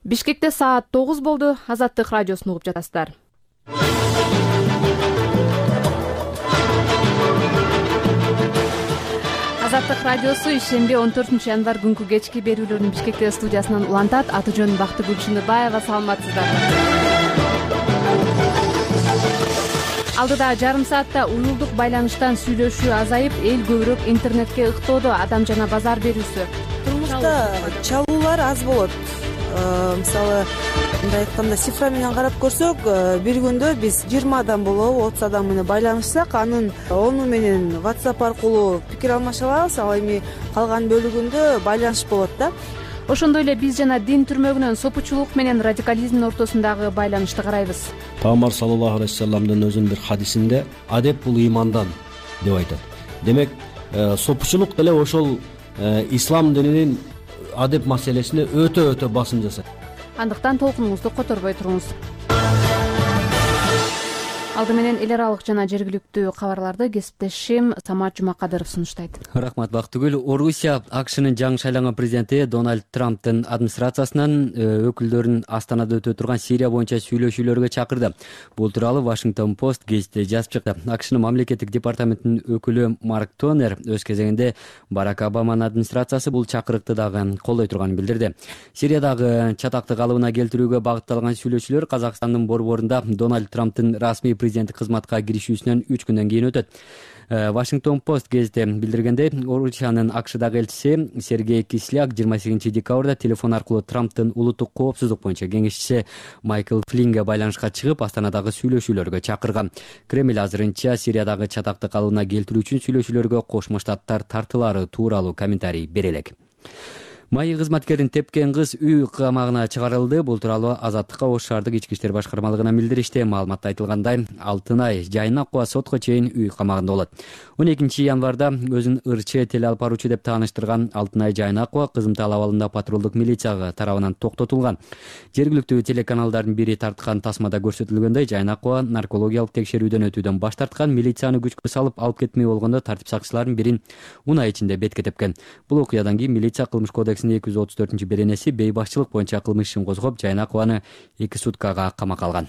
Бишкекте саат 9 болду. Азаттык радиосун угуп жатасыздар. Азаттык радиосу ишемби 14 январь күнкү кечки берүүлөрүн Бишкекте студиясынан улантат. Аты жөнүм Бактыгүл Шыныбаева. Саламатсыздарбы? Алдыда жарым саатта уюлдук байланыштан сүйлөшүү азайып, эл көбүрөөк интернетке ыктоодо. Адам жана базар берүүсү. Турмушта чалуулар аз болот. Мисалы, мындай айтканда цифра менен карап көрсөк, бир күндө биз 20 адам болобу, 30 адам менен байланышсак, анын 10 менен WhatsApp аркылуу пикир алмаша алабыз. Ал эми калган бөлүгүндө байланыш болот да. Ошондой эле биз жана дин түрмөгүнөн сопучулук менен радикализмдин ортосундагы байланышты карайбыз. Пайгамбар саллаллаху алейхи вассаламдын өзүнүн бир хадисинде адеп бул ыймандан деп айтат. Демек, сопучулук деле ошол ислам дининин адеп маселесине өтө басым жасайт. Андыктан толкунуңузду которбой туруңуз. Алды менен эл аралык жана жергиликтүү кабарларды кесиптешим Самат Жумакадыров сунуштайт. Рахмат, Бактыгүл. Орусия АКШнын жаңы шайланган президенти Дональд Трамптын администрациясынан өкүлдөрүн Астанада өтө турган Сирия боюнча сүйлөшүүлөргө чакырды. Бул тууралуу Washington Post гезити жазып чыкты. АКШнын мамлекеттик департаментинин өкүлү Марк Тонер өз кезегинде Барак Обаманын администрациясы бул чакырыкты дагы колдой турганын билдирди. Сириядагы чатакты калыбына келтирүүгө багытталган сүйлөшүүлөр Казакстандын борборунда Дональд Трамптын расмий президенттик кызматка киришүүсүнөн 3 күндөн кийин өтөт. Washington Post гезити билдиргендей, Орусиянын АКШдагы элчиси Сергей Кисляк 28-декабрда телефон аркылуу Трамптын улуттук коопсуздук боюнча кеңешчиси Майкл Флинге байланышка чыгып, Астанадагы сүйлөшүүлөргө чакырган. Кремль азырынча Сириядагы чатакты калыбына келтирүү үчүн сүйлөшүүлөргө Кошмо Штаттар тартылары тууралуу комментарий бере элек. Майы кызматкерин тепкен кыз үй камагына чыгарылды. Бул тууралуу Азаттыкка Ош шаардык ички иштер башкармалыгынан билдиришти. Маалыматта айтылгандай, Алтынай Жайнакова сотко чейин үй камагында болот. 12 январда өзүн ырчы теле алып баруучу деп тааныштырган Алтынай Жайнакова Кызымтал абалында патрулдук милиция тарабынан токтотулган. Жергиликтүү телеканалдардын бири тарткан тасмада көрсөтүлгөндөй, Жайнакова наркологиялык текшерүүдөн өтүүдөн баш тарткан, милицияны күчкө салып алып кетмей болгондо тартип сакчыларынын бирин унаа ичинде бетке тепкен. Бул окуядан кийин милиция кылмыш кодекс 234-беренеси бейбашчылык боюнча кылмыш ишин козгоп, Жайнакованы 2 суткага камакка алган.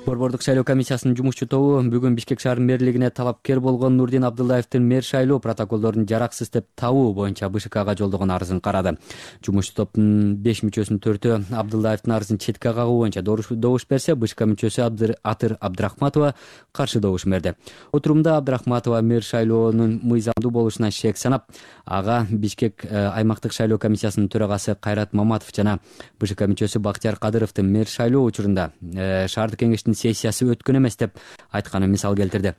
Борбордук шайлоо комиссиясынын жумушчу тобу бүгүн Бишкек шаарынын мэрлигине талапкер болгон Нурдин Абдуллаевдин мэр шайлоо протоколдорун жараксыз деп табуу боюнча БШКга жолдогон арызын карады. Жумушчу топтун 5 мүчөсүнүн 4-өө Абдуллаевдин арызын четке кагуу боюнча добуш берсе, БШК мүчөсү Атыр Абдрахматова каршы добуш берди. Отурумда Абдрахматова мэр шайлоонун мыйзамдуу болушуна шек санап, ага Бишкек аймактык шайлоо комиссиясынын төрагасы Кайрат Маматов жана БШК мүчөсү Бактияр Кадыровдун мэр шайлоо учурунда шаардык кеңештин сессиясы өткөн эмес деп айтканын мисал келтирди.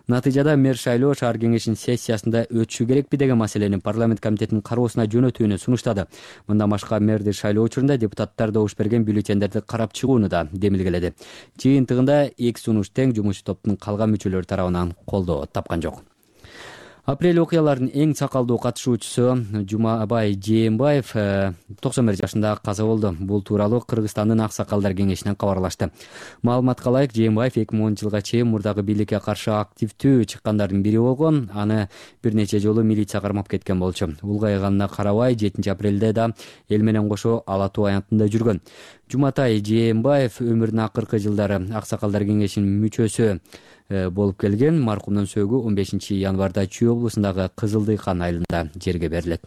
Натыйжада мэр шайлоо шаар кеңешинин сессиясында өтүшү керекпи деген маселени парламент комитетинин кароосуна жөнөтүүнү сунуштады. Мындан башка мэрди шайлоо учурунда депутаттар добуш берген бюллетендерди карап чыгууну да демилгеледи. Жыйынтыгында 2 сунуш тең жумушчу топтун калган мүчөлөрү тарабынан колдоо тапкан жок. Апрель окуяларынын эң сакалдуу катышуучусу Жумабай Жээнбаев 91 жашында каза болду. Бул тууралуу Кыргызстандын аксакалдар кеңешинен кабарлашты. Маалыматка ылайык, Жээнбаев 2010 жылга чейин мурдагы бийликке каршы активдүү чыккандардын бири болгон. Аны бир нече жолу милиция кармап кеткен болчу. Улгайганына карабай 7 апрелде да эл менен кошо Ала Тоо аянтында жүргөн. Жуматай Жээнбаев өмүрүнүн акыркы жылдары аксакалдар кеңешинин мүчөсү болуп келген. Маркумдун сөөгү 15 январда Чүй облусундагы Кызылдыйкан айылында жерге берилет.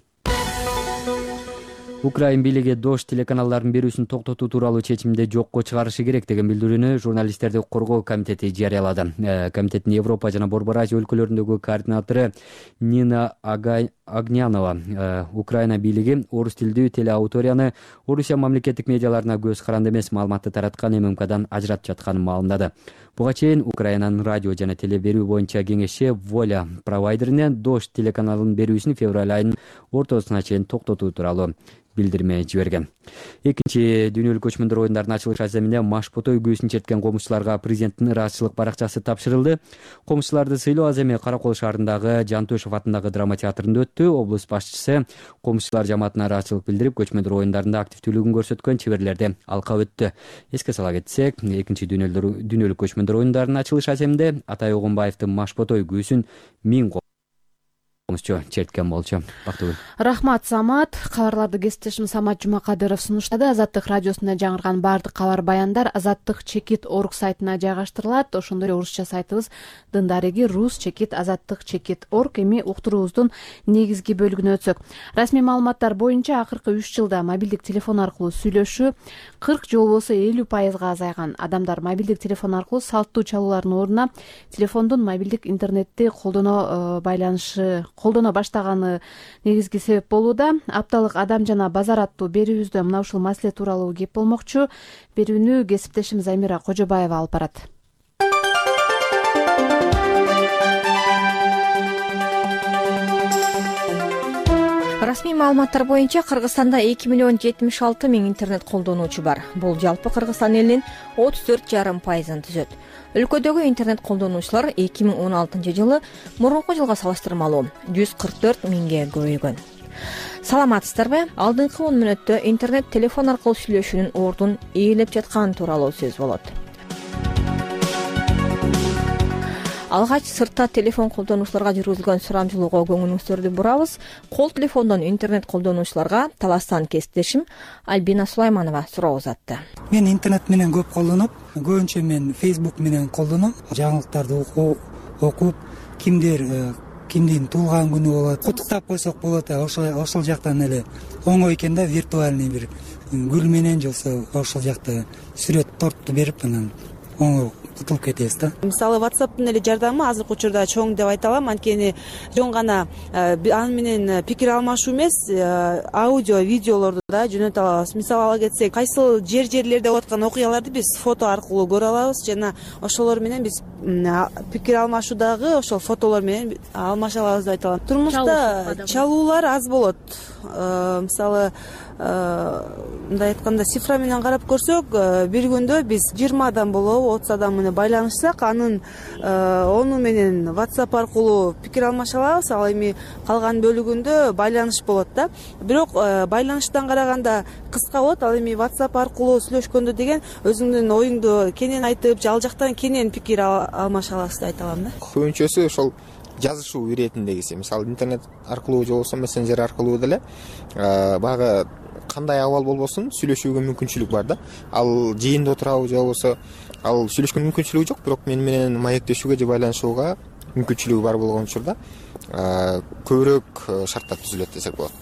Украин бийлиги Дош телеканалдарын берүүсүн токтотуу тууралуу чечимди жокко чыгарышы керек деген билдирүүнү журналисттерди коргоо комитети жарыялады. Комитеттин Европа жана Борбор Азия өлкөлөрүндөгү координатору Нина Агнянова Украина бийлиги орус тилдүү телеаудиторияны Орусия мамлекеттик медиаларына көз каранды эмес маалыматты тараткан ММКдан ажыратып жатканын маалымдады. Буга чейин Украинанын радио жана теле берүү боюнча кеңеши Воля провайдерине Дош телеканалын берүүсүн февраль айынын ортосуна чейин токтотуу тууралуу билдирме жиберген. Экинчи дүйнөлүк көчмөндөр оюндарынын ачылыш аземине Машботой күүсүн черткен комузчуларга президенттин ыраазычылык баракчасы тапшырылды. Комузчуларды сыйлоо аземи Каракол шаарындагы Жантөшев атындагы драма театрында өттү. Облус башчысы комузчулар жамаатына ыраазычылык билдирип, көчмөндөр оюндарында активдүүлүгүн көрсөткөн чеберлерди алкап өттү. Эске сала кетсек, экинчи дүйнөлүк көчмөндөр оюндарынын ачылыш аземинде Атай Огунбаевдин Машботой күүсүн 1000 черткен болчу. Бактыгүл. Рахмат, Самат. Кабарларды кесиптешим Самат Жумакадыров сунуштады. Азаттык радиосунда жаңырган баардык кабар баяндар Азаттык чекит орг сайтына жайгаштырылат. Ошондой эле орусча сайтыбыз Дындариги рус чекит азаттык чекит орг. Эми уктуруубуздун негизги бөлүгүнө өтсөк. Расмий маалыматтар боюнча акыркы 3 жылда мобилдик телефон аркылуу сүйлөшүү 40 же болбосо 50% азайган. Адамдар мобилдик телефон аркылуу салттуу чалуулардын ордуна телефондун мобилдик интернетти колдоно баштаганы негизги себеп болууда. Апталык Адам жана базар аттуу берүүбүздө мына ушул маселе тууралуу кеп болмокчу. Берүүнү кесиптешим Замира Кожобаева алып барат. Расмий маалыматтар боюнча Кыргызстанда 2,76,000 интернет колдонуучу бар. Бул жалпы Кыргызстан элинин 34,5%-ын түзөт. Өлкөдөгү интернет колдонуучулар 2016 жылы мурунку жылга салыштырмалуу 144 миңге көбөйгөн. Саламатсыздарбы? Алдыңкы 10 мүнөттө интернет телефон аркылуу сүйлөшүүнүн ордун ээлеп жатканы тууралуу сөз болот. Алгач сыртта телефон колдонуучуларга жүргүзүлгөн сурамжылоого көңүлүңүздөрдү бурабыз. Кол телефондон интернет колдонуучуларга Таластан кесиптешим Альбина Сулайманова суроо узатты. Мен интернет менен көп колдоном. Көбүнчө мен Facebook менен колдоном. Жаңылыктарды окуп, кимдин туулган күнү болот, куттуктап койсок болот. Ошол жактан эле оңой экен да, виртуальный бир гүл менен же ошол жакта сүрөт торту берип анан оңой кутулуп кетебиз да. Мисалы WhatsApp'тын эле жардамы азыркы учурда чоң деп айта алам. Анткени жөн гана аны менен пикир алмашуу эмес, аудио, видеолорду да жөнөтө алабыз. Мисалы ала кетсек, кайсыл жерлерде болуп аткан окуяларды биз фото аркылуу көрө алабыз жана ошолор менен биз пикир алмашуудагы ошол фотолор менен алмаша алабыз деп айта алам. Турмушта чалуулар аз болот. Мисалы мындай айтканда цифра менен карап көрсөк, бир күндө биз 20 адам болобу, 30 адам менен байланышсак, анын 10 менен WhatsApp аркылуу пикир алмаша алабыз. Ал эми калган бөлүгүндө байланыш болот да. Бирок байланыштан караганда кыска болот. Ал эми WhatsApp аркылуу сүйлөшкөндө деген өзүңдүн оюңду кенен айтып, ал жактан кенен пикир алмаша аласыз деп айта алам да. Көбүнчөсү ошол жазышуу иретиндегиси. Мисалы интернет аркылуу же болбосо мессенджер аркылуу деле баягы кандай абал болбосун сүйлөшүүгө мүмкүнчүлүк бар да. Ал жыйында отурабы же болбосо ал сүйлөшкөнгө мүмкүнчүлүгү жок, бирок мени менен маектешүүгө же байланышууга мүмкүнчүлүгү бар болгон учурда көбүрөөк шарттар түзүлөт десек болот.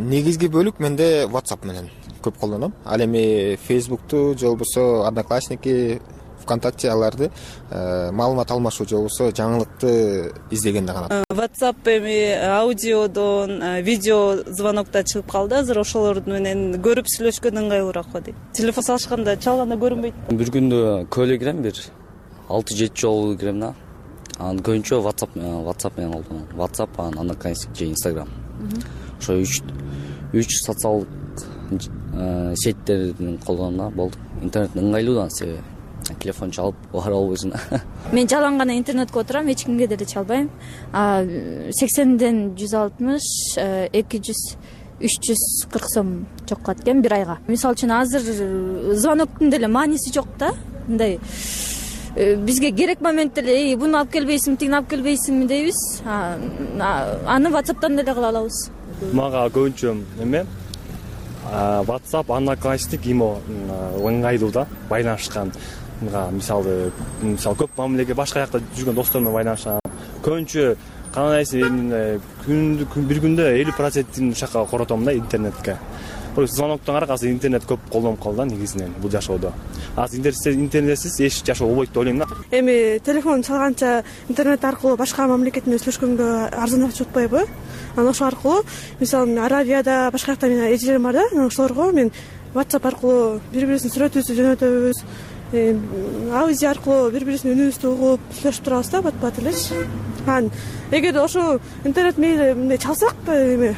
Негизги бөлүк менде WhatsApp менен көп колдоном. Ал эми Facebook'ту же болбосо Одноклассники, ВКонтакте аларды маалымат алмашуу же болбосо жаңылыкты издегенде гана. WhatsApp эми аудиодон, видео звонокто чыгып калды. Азыр ошолор менен көрүп сүйлөшкөн ыңгайлуураак го дейт. Телефон салышканда чалганда көрүнбөйт. Бир күндө көйлө кирем, бир 6-7 жолу кирем да. Анан көбүнчө WhatsApp менен колдоном. WhatsApp, Одноклассник же Instagram. Ошо 3 социалдык сеттерин колдоном да, болду. Интернет ыңгайлуудан себеби телефон чалып бара албайсың. Мен жалаң гана интернетке отурам, эч кимге деле чалбайм. 80ден 160, 200, 340 сом чоккат экен бир айга. Мисалы үчүн азыр звоноктун деле мааниси жок да. Мындай бизге керек моментте эле буну алып келбейсиңби, тигини алып келбейсиңби дейбиз. Аны WhatsApp'тан деле кыла алабыз. Мага көбүнчө эме WhatsApp, Одноклассник имо ыңгайлуу да, байланышкан. Мисалы көп мамилеге башка жакта жүргөн достор менен байланышкан. Көбүнчө кандайсы бир күндө 50%-ин ушака коротом да интернетке. Звоноктон аркасы интернет көп колдонуп калды негизинен бул жашоодо. Азыр интернетсиз эч жашоо болбойт деп ойлойм да. Эми телефон чалганча интернет аркылуу башка мамлекет менен сүйлөшкөнгө арзаныраак болуп атпайбы? Анан ошол аркылуу мисалы Аравияда башка жакта менен эжелерим бар да, ошолорго мен WhatsApp аркылуу бири-бирибиздин сүрөтүбүздү жөнөтөбүз. Аудио аркылуу бири-бирибиздин үнүбүздү угуп сүйлөшүп турабыз да, бат-бат элечи. Анан эгерде ошо интернет мындай чалсак эми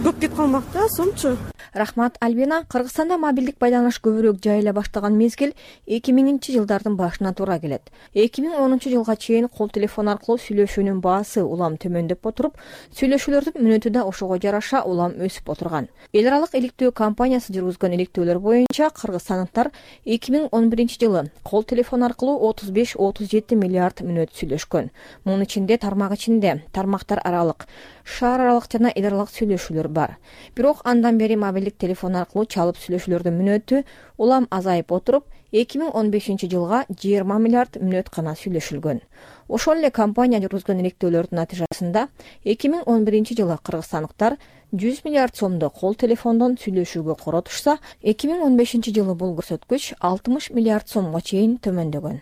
көп кетип калмак да, сомчу. Рахмат, Альбина. Кыргызстанда мобилдик байланыш көбүрөөк жайыла баштаган мезгил 2000-жылдардын башына туура келет. 2010-жылга чейин кол телефон аркылуу сүйлөшүүнүн баасы улам төмөндөп отуруп, сүйлөшүүлөрдүн мүнөтү да ошого жараша улам өсүп отурган. Эл аралык иликтөө компаниясы жүргүзгөн иликтөөлөр боюнча кыргызстандыктар 2011-жылы кол телефон аркылуу 35-37 миллиард мүнөт сүйлөшкөн. Мунун ичинде тармак ичинде, тармактар аралык, шаар аралык жана эл аралык сүйлөшүүлөр бар. Бирок андан бери мобилдик телефон аркылуу чалып сүйлөшүүлөрдүн мүнөтү улам азайып отуруп, 2015-жылга 20 миллиард мүнөт гана сүйлөшүлгөн. Ошол эле компания жүргүзгөн иликтөөлөрдүн натыйжасында 2011-жылы кыргызстандыктар 100 миллиард сомду кол телефондон сүйлөшүүгө коротушса, 2015-жылы бул көрсөткүч 60 миллиард сомго чейин төмөндөгөн.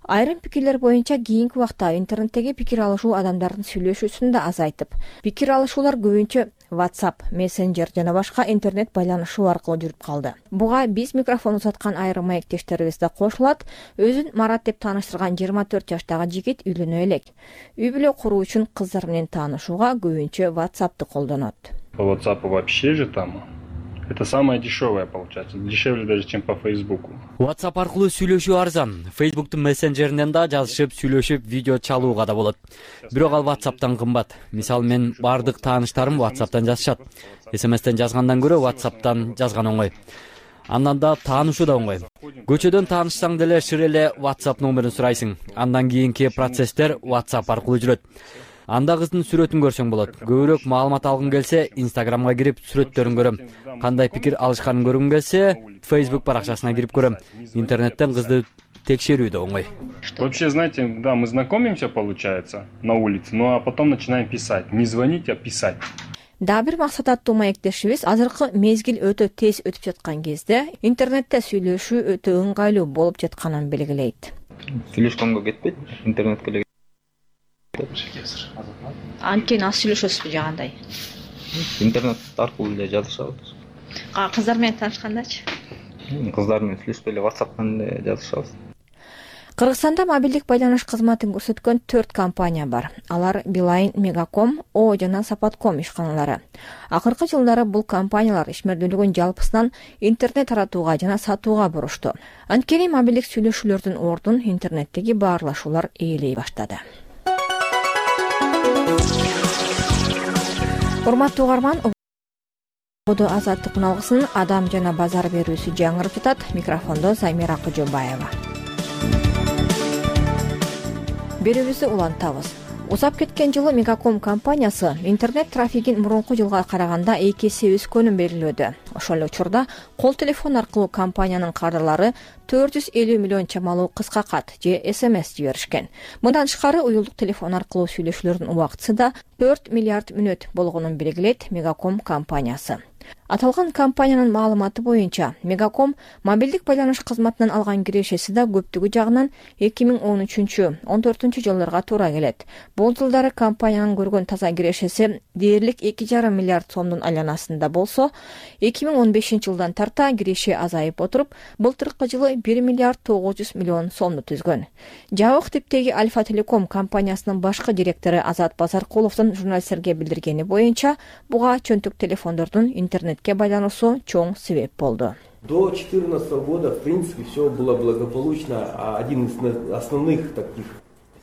Айрым пикирлер боюнча кийинки убакта интернеттеги пикир алышуу адамдардын сүйлөшүүсүн да азайтып, пикир алышуулар көбүнчө WhatsApp, Messenger жана башка интернет байланышуу аркылуу жүрүп калды. Буга биз микрофон узаткан айрым маектештерибиз да кошулат. Өзүн Марат деп тааныштырган 24 жаштагы жигит үйлөнө элек. Үй бүлө куруу үчүн кыздар менен таанышууга көбүнчө WhatsApp'ты колдонот. По WhatsApp вообще же там. Это самое дешевое получается, дешевле даже, чем по Фейсбуку. WhatsApp аркылуу сүйлөшүү арзан. Facebook'тун мессенджеринен да жазышып, сүйлөшүп, видео чалууга да болот. Бирок ал WhatsApp'тан кымбат. Мисалы, мен бардык тааныштарым WhatsApp'тан жазышат. SMS-тен жазгандан көрө WhatsApp'тан жазган оңой. Андан да таанышуу да оңой. Көчөдөн таанышсаң деле шыр эле WhatsApp номерин сурайсың. Андан кийинки процесстер WhatsApp аркылуу жүрөт. Анда кыздын сүрөтүн көрсөң болот. Көбүрөөк маалымат алгың келсе, Instagramга кирип сүрөттөрүн көрөм. Кандай пикир алышканын көргүм келсе, Facebook баракчасына кирип көрөм. Интернеттен кызды текшерүү да оңой. Вообще, знаете, да, мы знакомимся, получается, на улице, ну а потом начинаем писать. Не звонить, а писать. Дагы бир максат аттуу маектешибиз азыркы мезгил өтө тез өтүп жаткан кезде интернетте сүйлөшүү өтө ыңгайлуу болуп жатканын белгилейт. Сүйлөшкөнгө кетпейт, интернетке эле Анткени аз сүйлөшөсүзбү же кандай? Интернет аркылуу эле жазышабыз. Кыздар менен таанышкандачы? Кыздар менен сүйлөшпөй эле WhatsApp'тан эле жазышабыз. Кыргызстанда мобилдик байланыш кызматын көрсөткөн 4 компания бар. Алар Билайн, Мегаком, О жана Сапатком ишканалары. Акыркы жылдары бул компаниялар ишмердүүлүгүн жалпысынан интернет таратууга жана сатууга бурушту. Анткени мобилдик сүйлөшүүлөрдүн ордун интернеттеги баарлашуулар ээлей баштады. Урматтуу угарман, Ободо азаттык алгысынын адам жана базар берүүсү жаңырып жатат. Микрофондо Замира Кожобаева. Берүүбүздү улантабыз. Узап кеткен жылы Мегаком компаниясы интернет трафигин мурунку жылга караганда 2 эсе өскөнүн белгилөөдө. Ошол эле учурда кол телефон аркылуу компаниянын кадрлары 450 миллион чамалуу кыска кат же SMS жиберишкен. Мындан тышкары уюлдук телефон аркылуу сүйлөшүүлөрдүн убактысы да 4 миллиард мүнөт болгонун белгилейт Мегаком компаниясы. Аталган компаниянын маалыматы боюнча Мегаком мобилдик байланыш кызматынан алган кирешеси да көптүгү жагынан 2013-14 жылдарга туура келет. Бул жылдары компаниянын көргөн таза кирешеси дээрлик 2,5 миллиард сомдун айланасында болсо, 2015 жылдан тарта киреше азайып отуруп, былтыркы жылы 1 миллиард 900 миллион сомду түзгөн. Жабык типтеги Альфа Телеком компаниясынын башкы директору Азат Базаркуловдун журналисттерге билдиргени боюнча, буга чөнтүк телефондордун интернетке байлануусу чоң себеп болду. До 2014 года, в принципе, все было благополучно, а один из основных таких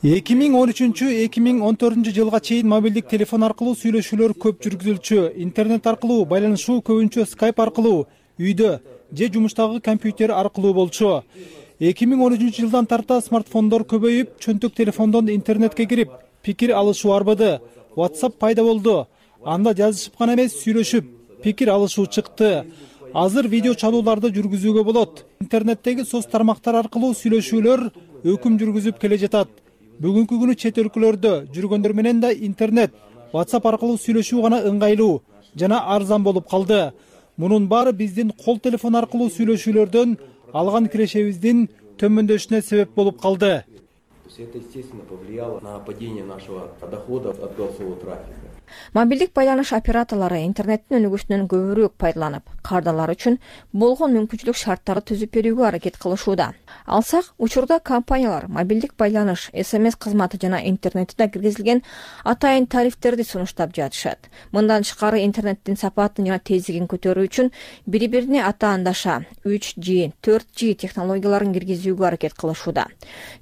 2013-2014 жылга чейин мобилдик телефон аркылуу сүйлөшүүлөр көп жүргүзүлчү. Интернет аркылуу байланышуу көбүнчө Skype аркылуу, үйдө же жумуштагы компьютер аркылуу болчу. 2013 жылдан тарта смартфондор көбөйүп, чөнтүк телефондон интернетке кирип, пикир алышуу арбады. WhatsApp пайда болду. Анда жазышып гана эмес, сүйлөшүп, пикир алышуу чыкты. Азыр видео чалууларды жүргүзүүгө болот. Интернеттеги соц тармактар аркылуу сүйлөшүүлөр өкүм жүргүзүп келе жатат. Бүгүнкү күнү чет өлкөлөрдө жүргөндөр менен да интернет, WhatsApp аркылуу сүйлөшүү гана ыңгайлуу жана арзан болуп калды. Мунун баары биздин кол телефон аркылуу сүйлөшүүлөрдөн алган кирешебиздин төмөндөшүнө себеп болуп калды. Это, естественно, повлияло на падение нашего дохода от голосового трафика. Мобилдик байланыш операторлору интернеттин өнүгүүсүнөн көбүрөөк пайдаланып, кардарлар үчүн болгон мүмкүнчүлүк шарттарды түзүп берүүгө аракет кылышууда. Алсак, учурда компаниялар мобилдик байланыш, СМС кызматы жана интернетте киргизилген атайын тарифтерди сунуштап жатышат. Мындан тышкары интернеттин сапатын жана тездигин көтөрүү үчүн бири-бирине атаандаша 3G, 4G технологияларын киргизүүгө аракет кылышууда.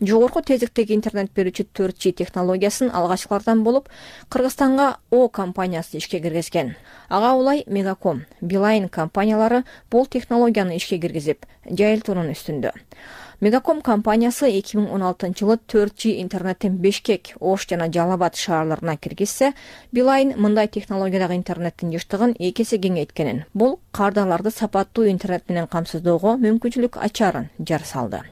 Жогорку тездиктеги интернет берүүчү 4G технологиясын алгачкылардан болуп Кыргызстанга О компаниясы ишке киргизген. Ага улай Мегаком, Билайн компаниялары бул технологияны ишке киргизип, жайылтуунун үстүндө. Мегаком компаниясы 2016-жылы 4G интернеттин Бишкек, Ош жана Жалал Абад шаарларына киргизсе, Билайн мындай технологиядагы интернеттин жыштыгын 2 эсе кеңейткенин, бул кардарларды сапаттуу интернет менен камсыздоого мүмкүнчүлүк ачарын жар салды.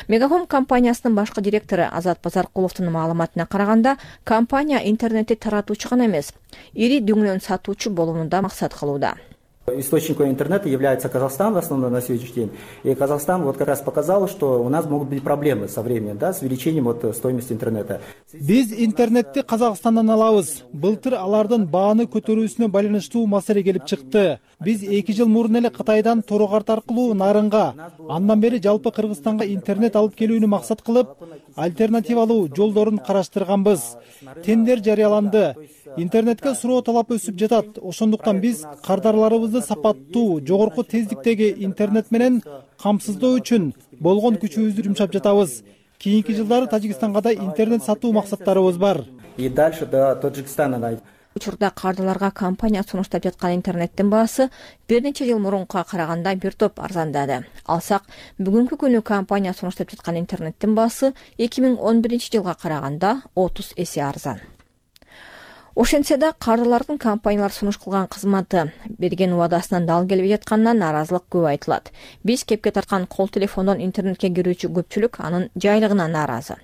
Мегаком компаниясынын башкы директору Азат Базаркуловдун маалыматына караганда, компания интернетти таратуучу гана эмес, ири дөңнөн сатуучу болууну да максат кылууда. Источником интернета является Казахстан в основном на сегодняшний день. И Казахстан вот как раз показал, что у нас могут быть проблемы со временем, да, с увеличением стоимости интернета. Биз интернетти Казакстандан алабыз. Былтыр алардын бааны көтөрүүсүнө байланыштуу маселе келип чыкты. Биз 2 жыл мурун эле Кытайдан Торо карт аркылуу нарынга, андан бери жалпы Кыргызстанга интернет алып келүүнү максат кылып, альтернативалуу жолдорун караштырганбыз. Тендер жарыяланды. Интернетке суроо талап өсүп жатат. Ошондуктан биз кардарларыбызды сапаттуу, жогорку тездиктеги интернет менен камсыздоо үчүн болгон күчүбүздү жумшап жатабыз. Кийинки жылдары Тажикстанга да интернет сатуу максаттарыбыз бар. И дальше до Таджикстана. Учурда кардарларга компания сунуштап жаткан интернеттин баасы бир нече жыл мурункуга караганда бир топ арзандады. Алсак, бүгүнкү күнү компания сунуштап жаткан интернеттин баасы 2011-жылга караганда 30 эсе арзан. Ошентсе да кардарлардын компаниялар сунуш кылган кызматы берген убадасынан дал келбей жатканынан нааразылык көп айтылат. Биз кепке тарткан кол телефондон интернетке кирүүчү көпчүлүк анын жайлыгына нааразы.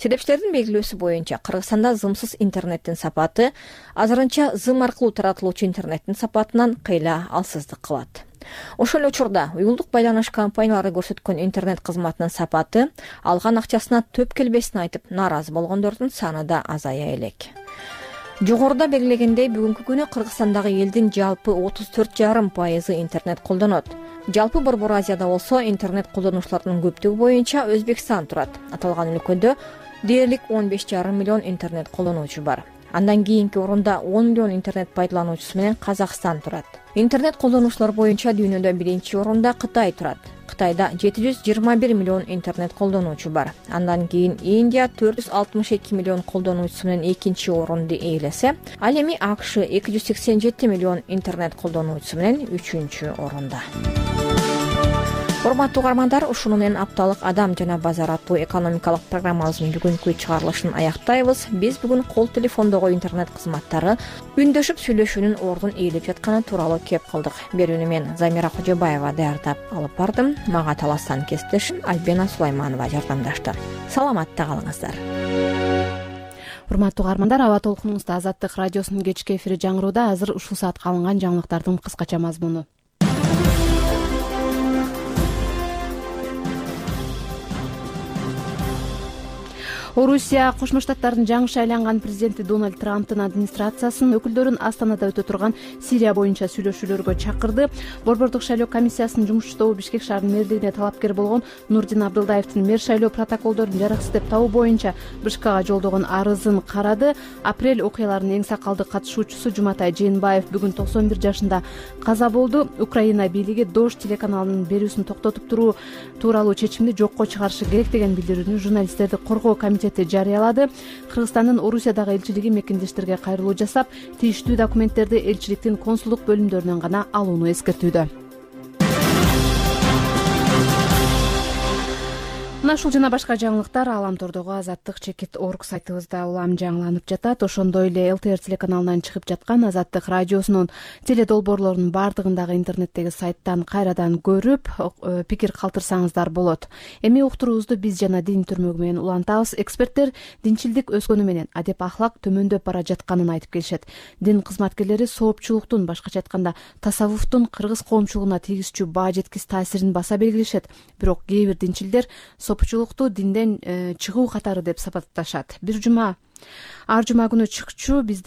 Себепчилердин белгилөөсү боюнча Кыргызстанда зымсыз интернеттин сапаты азырынча зым аркылуу таратылуучу интернеттин сапатынан кыйла алсыздык кылат. Ошол эле учурда уюлдук байланыш компаниялары көрсөткөн интернет кызматынын сапаты алган акчасына төп келбесин айтып нааразы болгондордун саны да азая элек. Жогоруда белгилегендей, бүгүнкү күнү Кыргызстандагы элдин жалпы 34,5% интернет колдонот. Жалпы Борбор Азияда болсо интернет колдонуучулардын көптүгү боюнча Өзбекстан турат. Аталган өлкөдө дээрлик 15,5 миллион интернет колдонуучу бар. Андан кийинки орунда 10 миллион интернет пайдалануучусу менен Казакстан турат. Интернет колдонуучулар боюнча дүйнөдө биринчи орунда Кытай турат. Кытайда 721 миллион интернет колдонуучу бар. Андан кийин Индия 462 миллион колдонуучусу менен экинчи орунду ээлесе, ал эми АКШ 287 миллион интернет колдонуучусу менен үчүнчү орунда. Урматтуу угармандар, ушуну менен апталык Адам жана базар аттуу экономикалык программабыздын бүгүнкү чыгарылышын аяктайбыз. Биз бүгүн кол телефондогу интернет кызматтары үндөшүп сүйлөшүүнүн ордун ээлеп жатканы тууралуу кеп кылдык. Берүүнү мен Замира Кожобаева даярдап алып бардым. Мага таластан кесиптешим Альбина Сулайманова жардамдашты. Саламатта калыңыздар. Урматтуу угармандар, аба толкунуңузда Азаттык радиосунун кечки эфири жаңырууда. Азыр ушул саатка алынган жаңылыктардын кыскача мазмуну. Орусия Кошмо Штаттардын жаңы айланган президенти Дональд Трамптын администрациясынын өкүлдөрүн Астанада өтө турган Сирия боюнча сүйлөшүүлөргө чакырды. Борбордук шайлоо комиссиясынын жумушчу Бишкек шаарынын мэрлигине талапкер болгон Нурдин Абдылдаевдин мэр шайлоо протоколдорун жараксыз деп табуу боюнча БШКга жолдогон арызын карады. Апрель окуяларынын эң сакалдуу катышуучусу Жуматай Жээнбаев бүгүн 91 жашында каза болду. Украина бийлиги Дождь телеканалынын берүүсүн токтотуп туруу тууралуу чечимди жокко чыгарышы керек деген билдирүүнү журналисттерди коргоо комитети жарыялады. Кыргызстандын Орусиядагы элчилиги мекендештерге кайрылуу жасап, тийиштүү документтерди элчиликтин консулдук бөлүмдөрүнөн гана алууну эскертүүдө. Мына ушул жана башка жаңылыктар Аламтордогу Азаттык.org сайтыбызда улам жаңыланып жатат. Ошондой эле ЛТР телеканалынан чыгып жаткан Азаттык радиосунун теледолбоорлорунун бардыгындагы интернеттеги сайттан кайрадан көрүп, пикир калтырсаңыздар болот. Эми уктуруубузду биз жана дин түрмөгү менен улантабыз. Эксперттер динчилдик өскөнү менен адеп ахлак төмөндөп бара жатканын айтып келишет. Дин кызматкерлери соопчулуктун, башкача айтканда тасаввуфтун кыргыз коомчулугуна тийгизчү баа жеткис таасирин баса белгилешет. Бирок кээ бир динчилдер соопчулукту динден чыгуу катары деп сапатташат. Бир жума Ар жума күнү чыкчу биз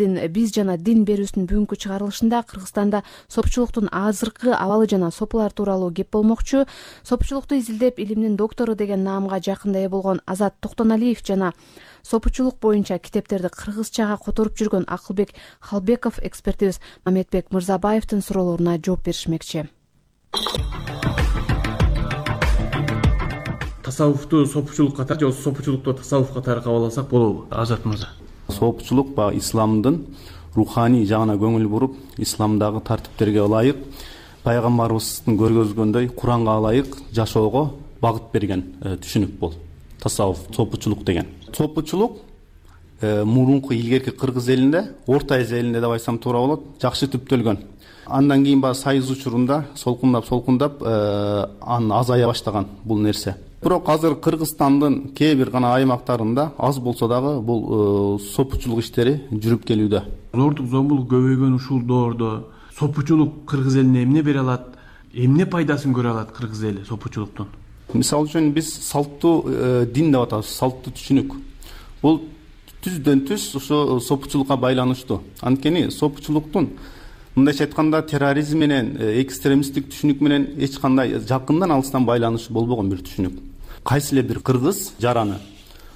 жана дин берүүсүнүн бүгүнкү чыгарылышында Кыргызстанда сопучулуктун азыркы абалы жана сопулар тууралуу кеп болмокчу. Сопучулукту изилдеп илимдин доктору деген наамга жакында ээ болгон Азат Токтоналиев жана сопучулук боюнча китептерди кыргызчага которуп жүргөн Акылбек Халбеков экспертибиз Мамедбек Мырзабаевдин суроолоруна жооп беришмекчи. Тасаввуфту сопучулук катары же сопучулукту тасаввуф катары кабыл алсак болобу, Азат мырза? Сопучулук баягы исламдын руханий жагына көңүл буруп, исламдагы тартиптерге ылайык, пайгамбарыбыздын көргөзгөндөй Куранга ылайык жашоого багыт берген түшүнүк бул. Тасаввуф, сопучулук деген. Сопучулук мурунку илгерки кыргыз элинде, Орто Азия элинде деп айтсам туура болот, жакшы түптөлгөн. Андан кийин баягы сайыз учурунда солкундап анын азая баштаган бул нерсе. Бирок азыр Кыргызстандын кээ бир гана аймактарында аз болсо дагы бул сопучулук иштери жүрүп келүүдө. Зордук зомбулук көбөйгөн ушул доордо сопучулук кыргыз элине эмне бере алат? Эмне пайдасын көрө алат кыргыз эли сопучулуктун? Мисалы үчүн биз салттуу дин деп атабыз, салттуу түшүнүк. Бул түздөн түз ошо сопучулукка байланыштуу. Анткени сопучулуктун мындайча айтканда терроризм менен, экстремисттик түшүнүк менен эч кандай жакындан алыстан байланышы болбогон бир түшүнүк. Кайсы эле бир кыргыз жараны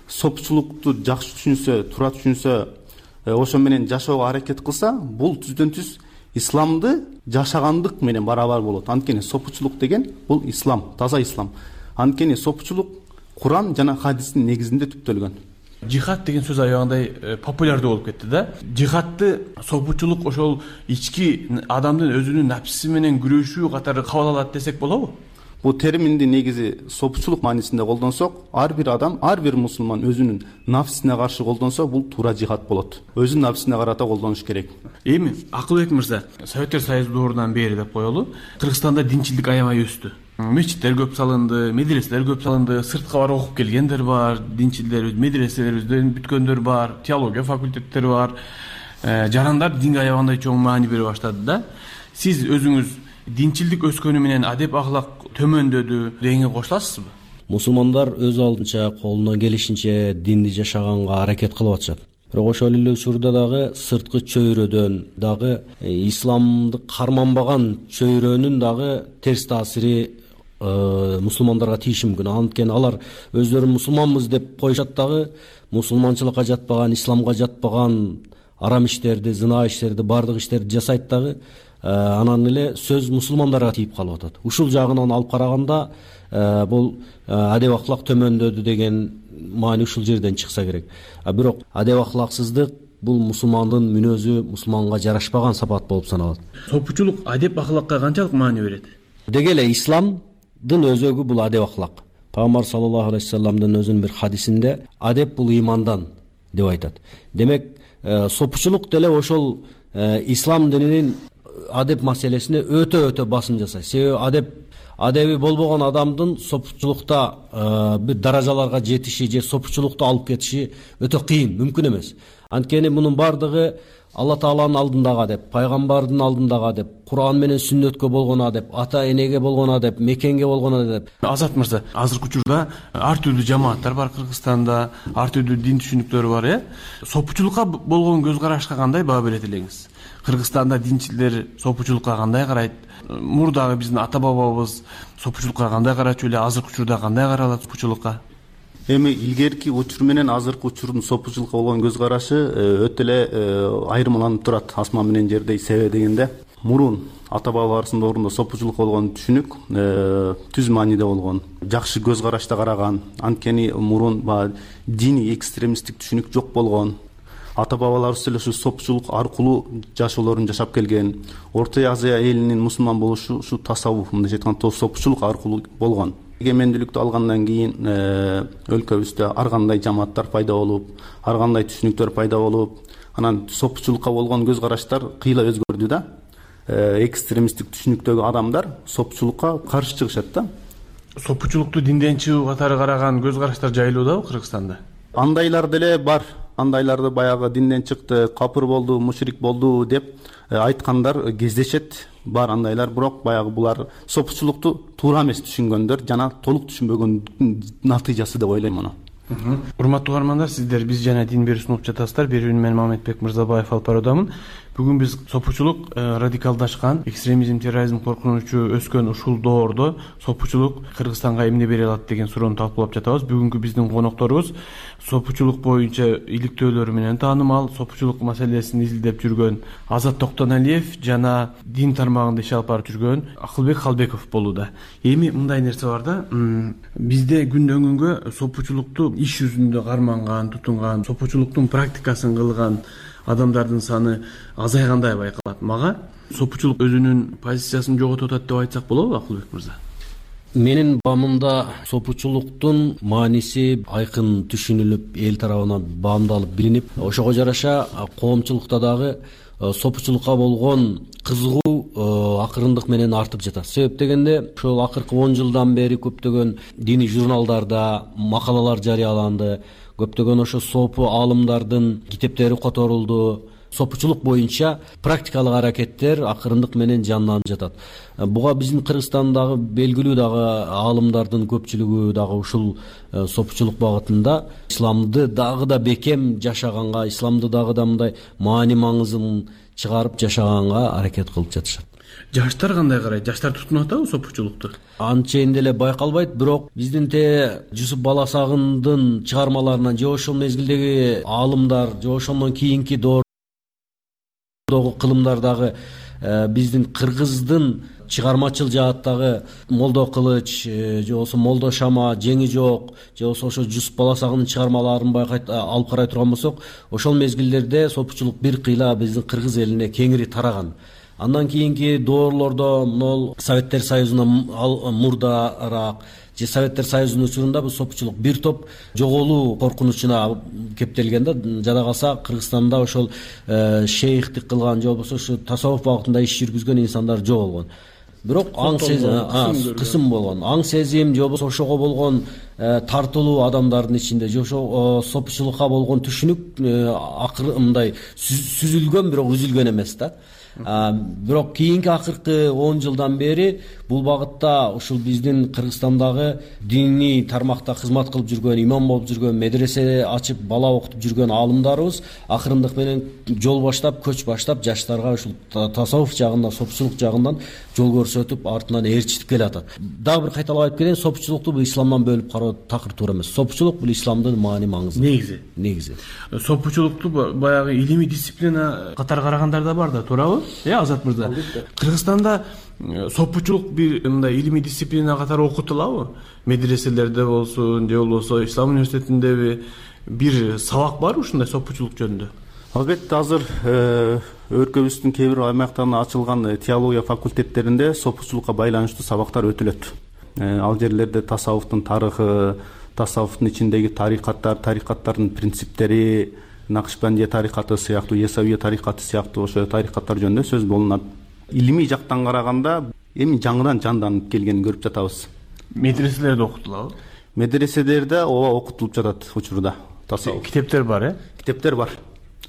сопучулукту жакшы түшүнсө, туура түшүнсө, ошо менен жашоого аракет кылса, бул түздөн түз исламды жашагандык менен барабар болот. Анткени сопучулук деген бул ислам, таза ислам. Анткени сопучулук Куран жана хадистин негизинде түптөлгөн. Жихад деген сөз аябагандай популярдуу болуп кетти да. Жихадты сопучулук ошол ички адамдын өзүнүн напсиси менен күрөшүү катары кабыл алат десек болобу? Бул терминди негизи сопучулук маанисинде колдонсок, ар бир адам, ар бир мусулман өзүнүн нафсине каршы колдонсо, бул туура жихад болот. Өзүнүн нафсине карата колдонуш керек. Эми Акылбек мырза, Советтер Союзу доорунан бери деп коелу, Кыргызстанда динчилдик аябай өстү. Мечиттер көп салынды, медреселер көп салынды, сыртка барып окуп келгендер бар, динчилдер, медреселерибизден бүткөндөр бар, теология факультеттери бар. Жарандар динге аябагандай чоң маани бере баштады да. Сиз өзүңүз динчилдик өскөнү менен адеп ахлак төмөндөдү дегенге кошуласызбы? Мусулмандар өз алдынча колунан келишинче динди жашаганга аракет кылып атышат. Бирок ошол эле учурда дагы сырткы чөйрөдөн дагы исламды карманбаган чөйрөнүн дагы терс таасири мусулмандарга тийиши мүмкүн. Анткени алар өздөрүн мусулманбыз деп коюшат дагы мусулманчылыкка жатпаган, исламга жатпаган арам иштерди, зына иштерди, бардык иштерди жасайт дагы. Анан эле сөз мусулмандарга тийип калып атат. Ушул жагынан алып караганда бул адеп ахлак төмөндөдү деген маани ушул жерден чыкса керек. Бирок адеп ахлаксыздык бул мусулмандын мүнөзү, мусулманга жарашпаган сапат болуп саналат. Сопучулук адеп ахлакка канчалык маани берет? Деги эле исламдын өзөгү бул адеп ахлак. Пайгамбар саллаллаху алейхи вассаламдын өзүнүн бир хадисинде адеп бул имандан деп айтат. Демек, сопучулук деле ошол ислам дининин адеп маселесине өтө басым жасайт. Себеби адеби болбогон адамдын сопучулукта бир даражаларга жетиши же сопучулукту алып кетиши өтө кыйын, мүмкүн эмес. Анткени мунун бардыгы Алла Тааланын алдындагы адеп, пайгамбардын алдындагы адеп, Куран менен сүннөткө болгон адеп, ата энеге болгон адеп, мекенге болгон адеп. Азат мырза, азыркы учурда ар түрдүү жамааттар бар Кыргызстанда, ар түрдүү дин түшүнүктөрү бар, Сопучулукка болгон көз карашка кандай баа берет элеңиз? Кыргызстанда динчилер сопучулукка кандай карайт? Мурдагы биздин ата бабабыз сопучулукка кандай карачу эле, азыркы учурда кандай каралат сопучулукка? Эми илгерки учур менен азыркы учурдун сопучулукка болгон көз карашы өтө эле айырмаланып турат, асман менен жердей. Себеби дегенде, мурун ата бабаларыбыздын доорунда сопучулукка болгон түшүнүк түз мааниде болгон, жакшы көз карашта караган. Анткени мурун диний экстремисттик түшүнүк жок болгон. Ата бабаларыбыз эле ушу сопучулук аркылуу жашоолорун жашап келген. Орто Азия элинин мусулман болушу ушу тасаввуф, мындайча айтканда сопучулук аркылуу болгон. Эгемендүүлүктү алгандан кийин өлкөбүздө ар кандай жамааттар пайда болуп, ар кандай түшүнүктөр пайда болуп, анан сопучулукка болгон көз караштар кыйла өзгөрдү да. Экстремисттик түшүнүктөгү адамдар сопучулукка каршы чыгышат да. Сопучулукту динден чыгуу катары караган көз караштар жайылуудабы Кыргызстанда? Андайлар деле бар. Андайларды баягы динден чыкты, капыр болду, мушрик болду деп айткандар кездешет. Бар андайлар, бирок баягы булар сопучулукту туура эмес түшүнгөндөр жана толук түшүнбөгөндүн натыйжасы деп ойлойм аны. Урматтуу угармандар, сиздер биз жана Дин берүү сунуп жатасыздар. Берүүнү мен Мамедбек Мырзабаев алып баруудамын. Бүгүн биз сопучулук радикалдашкан, экстремизм, терроризм коркунучу өскөн ушул доордо сопучулук Кыргызстанга эмне бере алат деген суроону талкуулап жатабыз. Бүгүнкү биздин конокторубуз сопучулук боюнча иликтөөлөрү менен таанымал, сопучулук маселесин изилдеп жүргөн Азат Токтоналиев жана дин тармагында иш алып барып жүргөн Акылбек Халбеков болууда. Эми мындай нерсе бар да, бизде күндөн күнгө сопучулукту иш жүзүндө карманган, тутунган, сопучулуктун практикасын кылган адамдардын саны азайгандай байкалат. Мага сопучулук өзүнүн позициясын жоготуп атат деп айтсак болобу, Акылбек мырза? Менин баамымда сопучулуктун мааниси айкын түшүнүлүп, эл тарабынан баамдалып билинип, ошого жараша коомчулукта дагы сопучулукка болгон кызыгуу акырындык менен артып жатат. Себеп дегенде, ошол акыркы 10 жылдан бери көптөгөн диний журналдарда макалалар жарыяланды, көптөгөн ошо сопу аалымдардын китептери которулду. Сопучулук боюнча практикалык аракеттер акырындык менен жанданып жатат. Буга биздин Кыргызстандагы белгилүү дагы аалымдардын көпчүлүгү дагы ушул сопучулук багытында исламды дагы да бекем жашаганга, исламды дагы да мындай маани маңызын чыгарып жашаганга аракет кылып жатышат. Жаштар кандай карайт? Жаштар тутунуп атабы сопучулукту? Анчейин деле байкалбайт, бирок биздин Жусуп Баласагындын чыгармаларынан же ошол мезгилдеги аалымдар, же ошондон кийинки кылымдардагы биздин кыргыздын чыгармачыл жааттагы Молдо Кылыч, же болбосо Молдо Шама, Жеңи Жок, же болбосо ошо Жусуп Баласагындын чыгармаларын байкайт алып карай турган болсок, ошол мезгилдерде сопучулук бир кыйла биздин кыргыз элине кеңири тараган. Андан кийинки доорлордо могул Советтер Союзунан мурдараак же Советтер Союзунун учурунда бул сопучулук бир топ жоголуу коркунучуна кептелген да. Жада калса Кыргызстанда ошол шейхтик кылган же болбосо ушу тасаввуф багытында иш жүргүзгөн инсандар жоголгон. Бирок аң сезим кысым болгон. Аң сезим же болбосо ошого болгон тартылуу адамдардын ичинде же ошо сопучулукка болгон түшүнүк мындай сүзүлгөн, бирок үзүлгөн эмес да. Бирок кийинки акыркы 10 жылдан бери бул багытта ушул биздин Кыргызстандагы диний тармакта кызмат кылып жүргөн, имам болуп жүргөн, медресе ачып бала окутуп жүргөн аалымдарыбыз акырындык менен жол баштап, көч баштап жаштарга ушул тасаввуф жагында, сопучулук жагынан жол көрсөтүп, артынан ээрчитип келатат. Дагы бир кайталап айтып кетейин, сопучулукту бул исламдан бөлүп кароо такыр туура эмес. Сопучулук бул исламдын маани маңызы. Негизи. Сопучулукту баягы илимий дисциплина катары карагандар да бар да, туурабы? Азат мырза, Кыргызстанда сопучулук бир мындай илимий дисциплина катары окутулабы? Медреселерде болсун, же болбосо Ислам университетиндеби бир сабак барбы ушундай сопучулук жөнүндө? Албетте, азыр өлкөбүздүн кээ бир аймактарында ачылган теология факультеттеринде сопучулукка байланыштуу сабактар өтүлөт. Ал жерлерде тасаввуфтун тарыхы, тасаввуфтун ичиндеги тарикаттардын принциптери, Накшбандия тарикаты сыяктуу, Есавия тарикаты сыяктуу ошо тарикаттар жөнүндө сөз болунат. Илимий жактан караганда эми жаңыдан жанданып келгенин көрүп жатабыз. Медреселерде окутулабы? Медреселерде ооба окутулуп жатат учурда. Тасаввуф. Китептер бар, Китептер бар.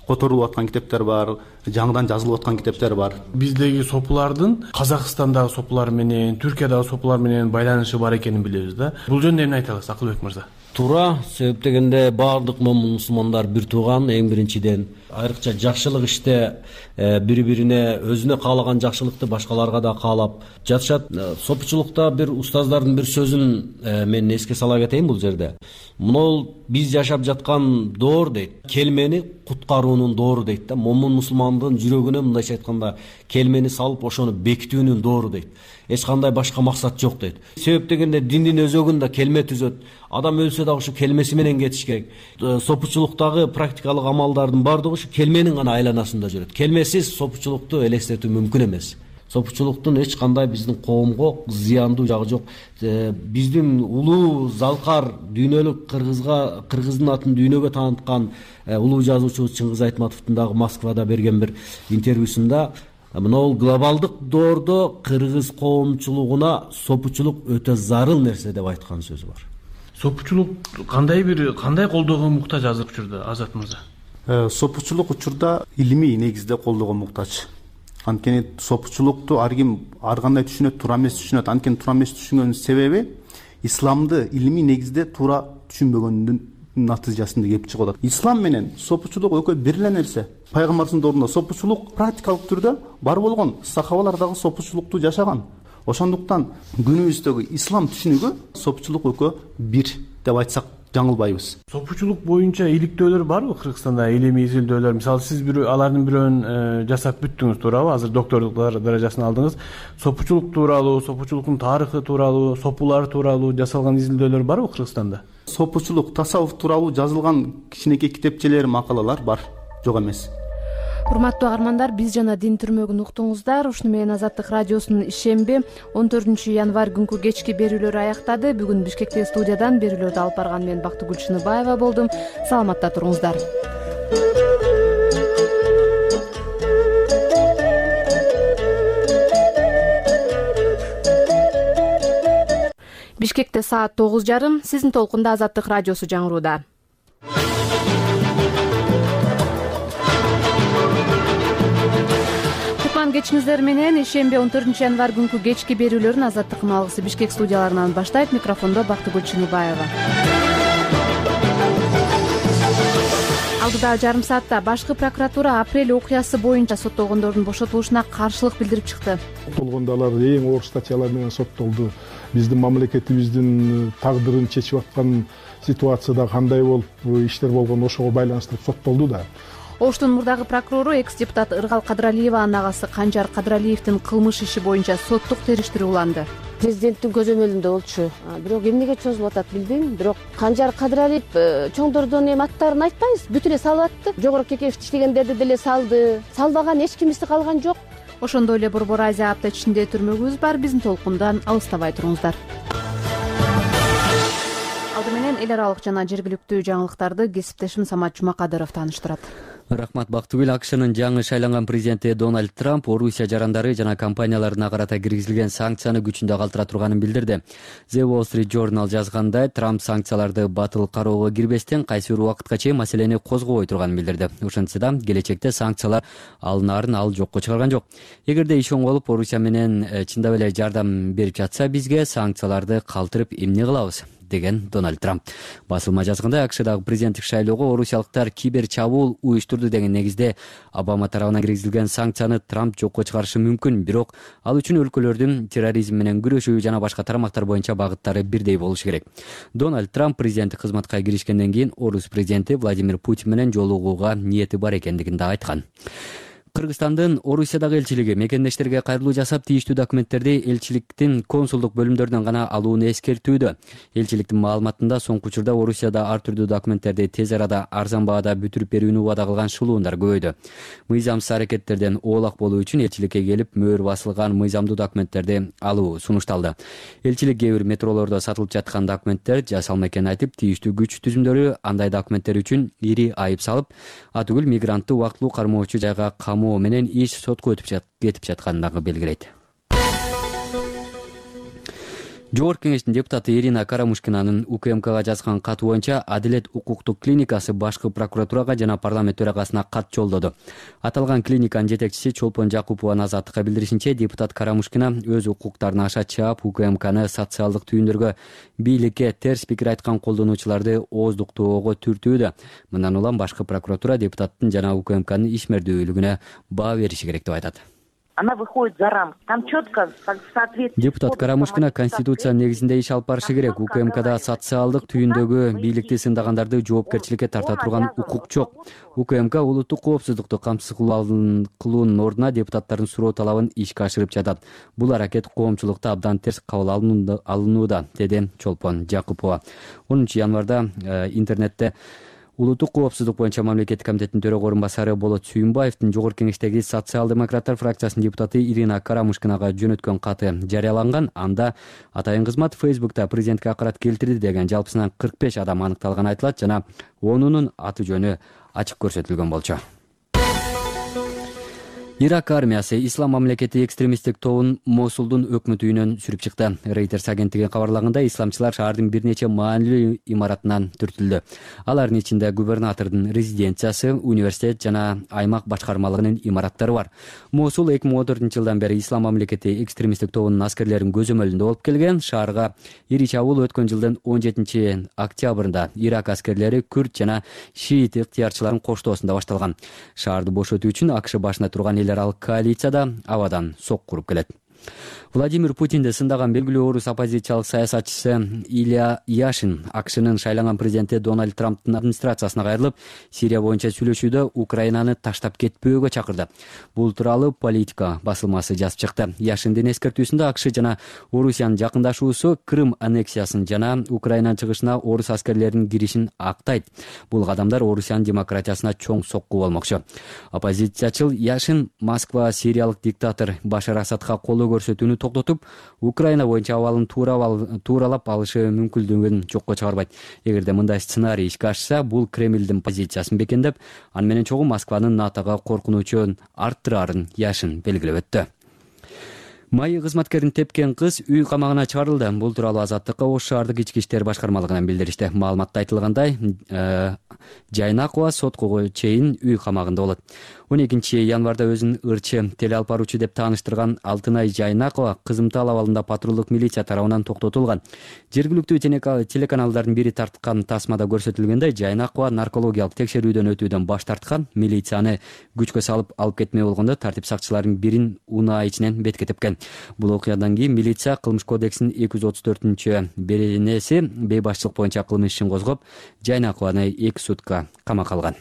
Которулуп аткан китептер бар, жаңыдан жазылып аткан китептер бар. Биздеги сопулардын Казакстандагы сопулар менен, Түркиядагы сопулар менен байланышы бар экенин билебиз да. Бул жөнүндө эмне айта аласыз, Акылбек мырза? Туура, себеп дегенде баардык момун мусулмандар бир тууган, эң биринчиден. Айрыкча жакшылык иште бири-бирине өзүнө каалаган жакшылыкты башкаларга да каалап жатышат. Сопучулукта бир устаздардын бир сөзүн мен эске сала кетейин бул жерде. Мынол биз жашап жаткан доор дейт. Келмени куткаруунун доору дейт да. Момун мусулмандын жүрөгүнө мындайча айтканда келмени салып ошону бекитүүнүн доору дейт. Эч кандай башка максат жок дейт. Себеп дегенде диндин өзөгүндө келме түзөт. Адам өлсө да ошо келмеси менен кетиш керек. Сопучулуктагы практикалык амалдардын баардыгы ушу келменин гана айланасында жүрөт. Келмесиз сопучулукту элестетүү мүмкүн эмес. Сопучулуктун эч кандай биздин коомго зыяндуу жагы жок. Биздин улуу залкар дүйнөлүк кыргыздын атын дүйнөгө тааныткан улуу жазуучу Чыңгыз Айтматовдун дагы Москвада берген бир интервьюсунда мынол глобалдык доордо кыргыз коомчулугуна сопучулук өтө зарыл нерсе деп айткан сөзү бар. Сопучулук кандай колдоого муктаж азыр учурда, Азат мырза? Сопучулук учурда илимий негизде колдоого муктаж. Анткени сопучулукту ар ким ар кандай түшүнөт, туура эмес түшүнөт. Анткени туура эмес түшүнгөнүн себеби исламды илимий негизде туура түшүнбөгөндүн натыйжасында келип чыгып атат. Ислам менен сопучулук экөө бир эле нерсе. Пайгамбардын доорунда сопучулук практикалык түрдө бар болгон, сахабалар дагы сопучулукту жашаган. Ошондуктан күнүбүздөгү ислам түшүнүгү сопучулук экөө бир деп айтсак жаңылбайбыз. Сопучулук боюнча иликтөөлөр барбы Кыргызстанда? Илимий изилдөөлөр, мисалы сиз алардын бирөөнүн жасап бүттүңүз, туурабы? Азыр докторлук даражасын алдыңыз. Сопучулук тууралуу, сопучулуктун тарыхы тууралуу, сопулар тууралуу жасалган изилдөөлөр барбы Кыргызстанда? Сопучулук, тасаввуф тууралуу жазылган кичинекей китепчелер, макалалар бар, жок эмес. Урматтуу каармандар, биз жана Дин түрмөгүн уктуңуздар. Ушуну менен Азаттык радиосунун ишемби 14 январь күнкү кечки берүүлөрү аяктады. Бүгүн Бишкектеги студиядан берүүлөрдү алып барган мен Бактыгүл Чыныбаева болдум. Саламатта туруңуздар. Бишкекте саат 9:30. Сиздин толкунда Азаттык радиосу жаңырууда. Кечиңиздер менен ишемби 14 январь күнкү кечки берүүлөрүн Азаттыктын алгысы Бишкек студияларынан баштайт. Микрофондо Бактыгүл Чыныбаева. Алдыда жарым саатта башкы прокуратура апрель окуясы боюнча соттолгондордун бошотулушуна каршылык билдирип чыкты. Соттолгондо алар эң оор статьялар менен соттолду. Биздин мамлекетибиздин тагдырын чечип аткан ситуацияда кандай болуп иштер болгон ошого байланыштуу соттолду да. Оштун мурдагы прокурору экс-депутат Ыргал Кадыралиеванын агасы Канжар Кадыралиевдин кылмыш иши боюнча соттук териштирүү уланды. Президенттин көзөмөлүндө болчу. Бирок эмнеге чозулуп атат билбейм. Бирок Канжар Кадыралиев чоңдордон аттарын айтпайбыз, бүтүн эле салып атты. Жогорку Кекеев иштегендерди деле салды. Салбаган эч кимиси калган жок. Ошондой эле Борбор Азия апта ичинде түрмөгүбүз бар. Биздин толкундан алыстабай туруңуздар. Алды менен эл аралык жана жергиликтүү жаңылыктарды кесиптешим Самат Жумакадыров тааныштырат. Рахмат Бактыгүл. АКШнын жаңы шайланган президенти Дональд Трамп Орусия жарандары жана компанияларына карата киргизилген санкцияны күчүндө калтыра турганын билдирди. The Wall Street Journal жазгандай, Трамп санкцияларды батыл кароого кирбестен кайсы бир убакытка чейин маселени козгобой турганын билдирди. Ошентсе да келечекте санкциялар алынаарын ал жокко чыгарган жок. Эгерде иш оңолуп Орусия менен чындап эле жардам берип жатса, бизге санкцияларды калтырып эмне кылабыз деген Дональд Трамп. Басылма жазгандай, АКШдагы президенттик шайлоого орусиялыктар кибер чабуул уюштурду деген негизде Обама тарабынан киргизилген санкцияны Трамп жокко чыгарышы мүмкүн, бирок ал үчүн өлкөлөрдүн терроризм менен күрөшүү жана башка тармактар боюнча багыттары бирдей болушу керек. Дональд Трамп президенттик кызматка киришкенден кийин орус президенти Владимир Путин менен жолугууга ниети бар экендигин да айткан. Кыргызстандын Орусиядагы элчилиги мекендештерге кайрылуу жасап, тийиштүү документтерди элчиликтин консулдук бөлүмдөрүнөн гана алууну эскертүүдө. Элчиликтин маалыматында соңку учурда Орусияда ар түрдүү документтерди тез арада арзан баада бүтүрүп берүүнү убада кылган шылуундар көбөйдү. Мыйзамсыз аракеттерден оолак болуу үчүн элчиликке келип мөөр басылган мыйзамдуу документтерди алуу сунушталды. Элчилик кээ бир метролордо сатылып жаткан документтер жасалма экенин айтып, тийиштүү күч түзүмдөрү андай документтер үчүн ири айып салып, атүгүл мигрантты убактылуу кармоочу жайга менен иш сотко кетип жатканын дагы белгилейт. Жогорку кеңештин депутаты Ирина Карамушкинанын УКМКга жазган каты боюнча Адилет укуктук клиникасы башкы прокуратурага жана парламент төрагасына кат жолдоду. Аталган клиниканын жетекчиси Чолпон Жакупованын Азаттыкка билдиришинче, депутат Карамушкина өз укуктарын аша чаап УКМКны социалдык түйүндөргө бийликке терс пикир айткан колдонуучуларды ооздуктоого түртүүдө. Мындан улам башкы прокуратура депутаттын жана УКМКнын ишмердүүлүгүнө баа бериши керек деп айтат. Она выходит за рамки. Там четко соответствует. Депутат Карамушкина Конституция негизинде иш алып барышы керек. УКМКда социалдык түйүндөгү бийликти сындагандарды жоопкерчиликке тарта турган укук жок. УКМК улуттук коопсуздукту камсыз кылуунун ордуна депутаттардын суроо талабын ишке ашырып жатат. Бул аракет коомчулукта абдан терс кабыл алынууда, деди Чолпон Жакупова. 10 январда интернетте Улуттук коопсуздук боюнча мамлекеттик комитеттин төрөгө орун басары Болот Сүйүнбаевдин жогорку кеңештеги социал-демократтар фракциясынын депутаты Ирина Карамушкинага жөнөткөн каты жарыяланган. Анда атайын кызмат Facebook'та президентке акырат келтирди деген жалпысынан 45 адам аныкталганы айтылат жана 10-унун аты жөнү ачык көрсөтүлгөн болчу. Ирак армиясы ислам мамлекети экстремисттик тобун Мосулдун өкмөт үйүнөн сүрүп чыкты. Reuters агенттиги кабарлаганда исламчылар шаардын бир нече маанилүү имаратынан түртүлдү. Алардын ичинде губернатордун резиденциясы, университет жана аймак башкармалыгынын имараттары бар. Мосул 2014-жылдан бери ислам мамлекети экстремисттик тобунун аскерлеринин көзөмөлүндө болуп келген. Шаарга ири чабуул өткөн жылдын 17-октябрында Ирак аскерлери күрд жана шиит ыктыярчыларын коштоосунда башталган. Шаарды бошотуу үчүн АКШ башында турган эл аралык коалицияда абадан сок куруп келет. Владимир Путинди сындаган белгилүү орус оппозициялык саясатчысы Илья Яшин АКШнын шайланган президенти Дональд Трамптын администрациясына кайрылып, Сирия боюнча сүйлөшүүдө Украинаны таштап кетпөөгө чакырды. Бул тууралуу Политика басылмасы жазып чыкты. Яшиндин эскертүүсүндө АКШ жана Орусиянын жакындашуусу Крым аннексиясын жана Украинанын чыгышына орус аскерлеринин киришин актайт. Бул кадамдар Орусиянын демократиясына чоң сокку болмокчу. Оппозициячыл Яшин Москва сириялык диктатор Башар Асадка колдоо көрсөтүүнү токтотуп, Украина боюнча абалын тууралап алышы мүмкүнлүгүн жокко чыгарбайт. Эгерде мындай сценарий ишке ашса, бул Кремлдин позициясын бекемдеп, аны менен чогуу Москванын НАТОго коркунучун арттырарын Яшин белгилеп өттү. Майы кызматкерин тепкен кыз үй камагына чыгарылды. Бул тууралуу Азаттыкка Ош шаардык ички иштер башкармалыгынан билдиришти. Маалыматта айтылгандай, Жайнакова сотко чейин үй камагында болот. 12-январда өзүн ырчы телеалп баруучу деп тааныштырган Алтынай Жайнакова кызымтал абалында патрулдук милиция тарабынан токтотулган. Жергиликтүү телеканалдардын бири тарткан тасмада көрсөтүлгөндөй, Жайнакова наркологиялык текшерүүдөн өтүүдөн баш тарткан, милицияны күчкө салып алып кетмей болгондо тартип сакчыларынын бирин унаа ичинен бетке тепкен. Бул окуядан кийин милиция Кылмыш кодексинин 234-беренеси бейбашчылык боюнча кылмыш ишин козгоп, Жайнакованы 2 сутка камакка алган.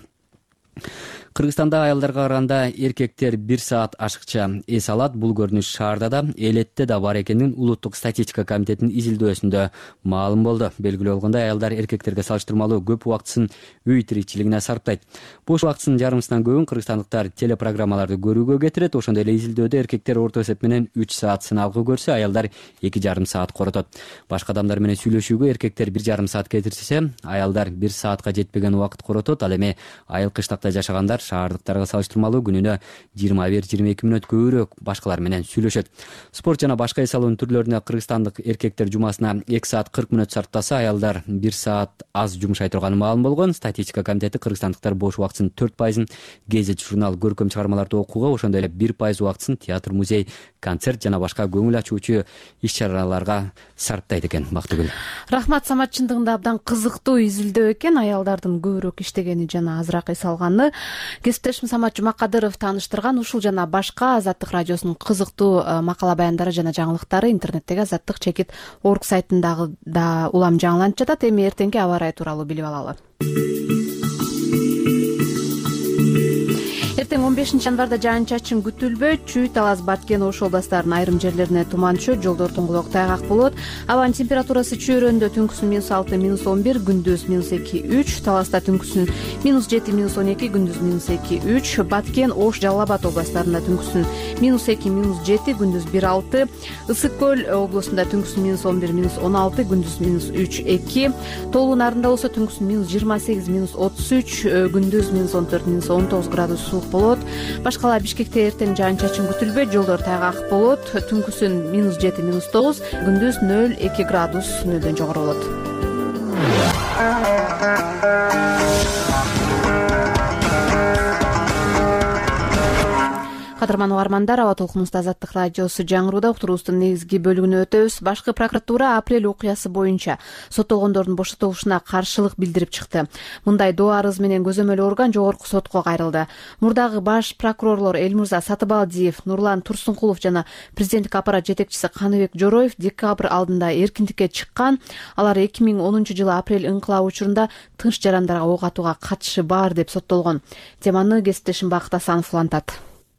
Кыргызстанда аялдарга караганда эркектер 1 саат ашыкча эс алат. Бул көрүнүш шаарда да, элетте да бар экенин Улуттук статистика комитетинин изилдөөсүндө маалым болду. Белгилүү болгондой, аялдар эркектерге салыштырмалуу көп убактысын үй тиричилигине сарптайт. Бош убактысынын жарымысынан көбүн кыргызстандыктар телепрограммаларды көрүүгө кетирет. Ошондой эле изилдөөдө эркектер орто эсеп менен 3 саат сыналгы көрсө, аялдар 2,5 саат коротот. Башка адамдар менен сүйлөшүүгө эркектер 1,5 саат кетирсе, аялдар 1 саатка жетпеген убакыт коротот. Ал эми айыл кыштакта жашагандар шаардыктарга салыштырмалуу күнүнө 21-22 мүнөт көбүрөөк башкалар менен сүйлөшөт. Спорт жана башка эс алуунун түрлөрүнө кыргызстандык эркектер жумасына 2 саат 40 мүнөт сарптаса, аялдар 1 саат аз жумшай турганы маалым болгон. Статистика комитети кыргызстандыктар бош убактысынын 4% гезит, журнал, көркөм чыгармаларды окууга, ошондой эле 1% убактысын театр, музей, концерт жана башка көңүл ачуучу иш-чараларга сарптайт экен. Бактыгүл. Рахмат, Самат, чындыгында абдан кызыктуу изилдөө экен. Аялдардын көбүрөөк иштегени жана азыраак эс алганы. Кесиптешим Самат Жумакадыров тааныштырган ушул жана башка Азаттык радиосунун кызыктуу макала баяндары жана жаңылыктары интернеттеги azattik.org сайтындагы да улам жаңыланып жатат. Эми эртеңки аба ырайы тууралуу билип алалы. Эртең 15-январда жаан-чачын күтүлбөйт. Чүй, Талас, Баткен, Ош областарынын айрым жерлерине туман түшөт, жолдор туңгулук тайгак болот. Абанын температурасы чөйрөндө түнкүсүн -6, -11, күндүз -2, -3, Таласта түнкүсүн -7, -12, күндүз -2, -3, Баткен, Ош, Жалал Абад областарында түнкүсүн -2, -7, күндүз 1-6, Ысык көл облусунда түнкүсүн -11, -16, күндүз -3, -2, Тоолуу Нарында болсо түнкүсүн -28, -33, күндүз -14, -19 градус суук болот. Башкала Бишкекте эртең жаан-чачын күтүлбөйт, жолдор тайгак болот. Түнкүсүн -7, -9, күндүз 0-2 градус нөлдөн жогору болот. Кадырман угармандар, аба толкунубузда Азаттык радиосу жаңырууда. Уктуруубуздун негизги бөлүгүнө өтөбүз. Башкы прокуратура апрель окуясы боюнча соттолгондордун бошотулушуна каршылык билдирип чыкты. Мындай доо арыз менен көзөмөл орган жогорку сотко кайрылды. Мурдагы баш прокурорлор Элмурза Сатыбалдиев, Нурлан Турсункулов жана президенттик аппарат жетекчиси Каныбек Жороев декабрь алдында эркиндикке чыккан. Алар 2010-жылы апрель ыңкылабы учурунда тынч жарандарга ок атууга катышы бар деп соттолгон. Теманы кесиптешим Бакыт Асанов улантат.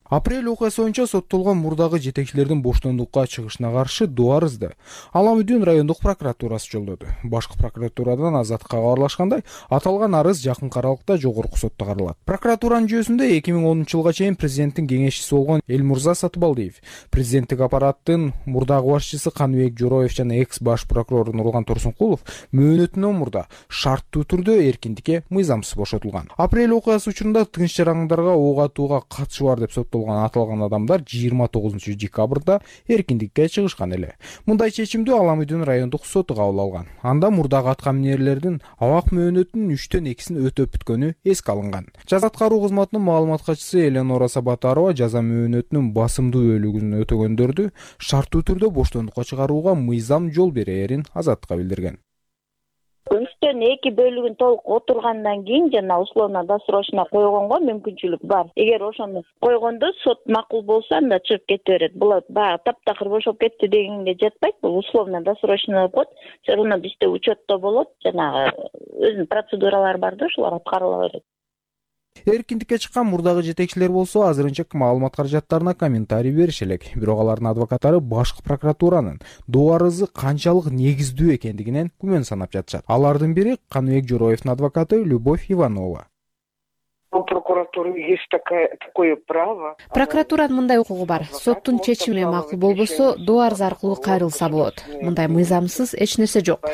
Апрель окуясы боюнча соттолгон мурдагы жетекчилердин боштондукка чыгышына каршы доо арызды Ала Мүдүн райондук прокуратурасы жолдоду. Башкы прокуратурадан Азаттыкка кабарлашкандай, аталган арыз жакынкы аралыкта жогорку сотто каралат. Прокуратуранын жүйөсүндө 2010-жылга чейин президенттин кеңешчиси болгон Элмурза Сатыбалдиев, президенттик аппараттын мурдагы башчысы Каныбек Жороев жана экс баш прокурор Нурлан Турсункулов мөөнөтүнөн мурда шарттуу түрдө эркиндикке мыйзамсыз бошотулган. Апрель окуясы учурунда тынч жарандарга ок атууга катышы бар деп соттолгон болгон аталган адамдар 29 декабрда эркиндикке чыгышкан эле. Мындай чечимди Аламүдүн райондук соту кабыл алган. Анда мурдагы атка минерлердин абак мөөнөтүнүн 3төн 2син өтөп бүткөнү эске алынган. Жаза аткаруу кызматынын маалымат катчысы Эленора Сабатарова жаза мөөнөтүнүн басымдуу бөлүгүн өтөгөндөрдү шарттуу түрдө боштондукка чыгарууга мыйзам жол берээрин Азаттыкка билдирген. 3төн 2 бөлүгүн толук отургандан кийин жана условно-досрочно койгонго мүмкүнчүлүк бар. Эгер ошону койгондо сот макул болсо, анда чыгып кете берет. Бул баягы таптакыр бошоп кетти дегенге жатпайт. Бул условно-досрочно болот. Всё равно бизде учетто болот. Жанагы өзүнүн процедуралары бар да, ошолор аткарыла берет. Эркиндикке чыккан мурдагы жетекчилер болсо азырынча маалымат каражаттарына комментарий берише элек. Бирок алардын адвокаттары башкы прокуратуранын доо арызы канчалык негиздүү экендигинен күмөн санап жатышат. Алардын бири Каныбек Жороевдун адвокаты Любовь Иванова. У прокуратуры есть такое право. Прокуратуранын мындай укугу бар. Соттун чечими макул болбосо, доо арыз аркылуу кайрылса болот. Мындай мыйзамсыз эч нерсе жок.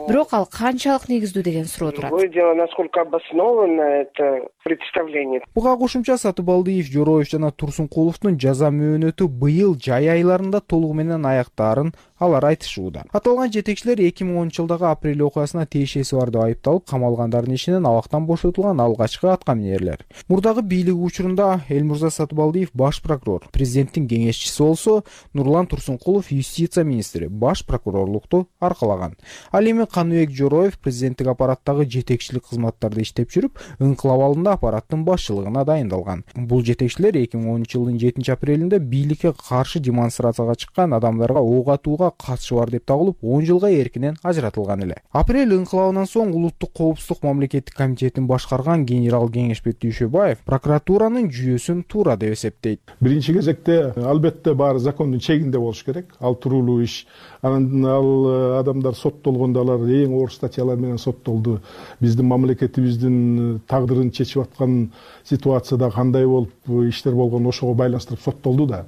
Бирок ал канчалык негиздүү деген суроо турат. Другое дело, насколько обосновано это представление. Буга кошумча Сатыбалдиев, Жороев жана Турсункуловдун жаза мөөнөтү быйыл жай айларында толугу менен аяктаарын алар айтышууда. Аталган жетекчилер 2010-жылдагы апрель окуясына тиешеси бар деп айыпталып, камалгандардын ишинен абактан бошотулган алгачкы атка минерлер. Мурдагы бийлик учурунда Элмурза Сатыбалдиев баш прокурор, президенттин кеңешчиси болсо, Нурлан Турсункулов юстиция министри, баш прокурорлукту аркалаган. Ал эми Каныбек Жороев президенттик аппараттагы жетекчилик кызматтарда иштеп жүрүп, ыңкылап алдында аппараттын башчылыгына дайындалган. Бул жетекчилер 2010-жылдын 7-апрелинде бийликке каршы демонстрацияга чыккан адамдарга ок атууга катышы бар деп табылып, 10 жылга эркинен ажыратылган эле. Апрель ыңкылабынан соң Улуттук коопсуздук мамлекеттик комитетин башкарган генерал Кеңешбек Дүйшөбаев прокуратуранын жүйөсүн туура деп эсептейт. Биринчи кезекте албетте баары закондун чегинде болуш керек. Ал туруулуу иш. Анан ал адамдар соттолгондо алар эң оор статьялар менен соттолду. Биздин мамлекетибиздин тагдырын чечип аткан ситуацияда кандай болуп иштер болгон ошого байланыштырып соттолду да.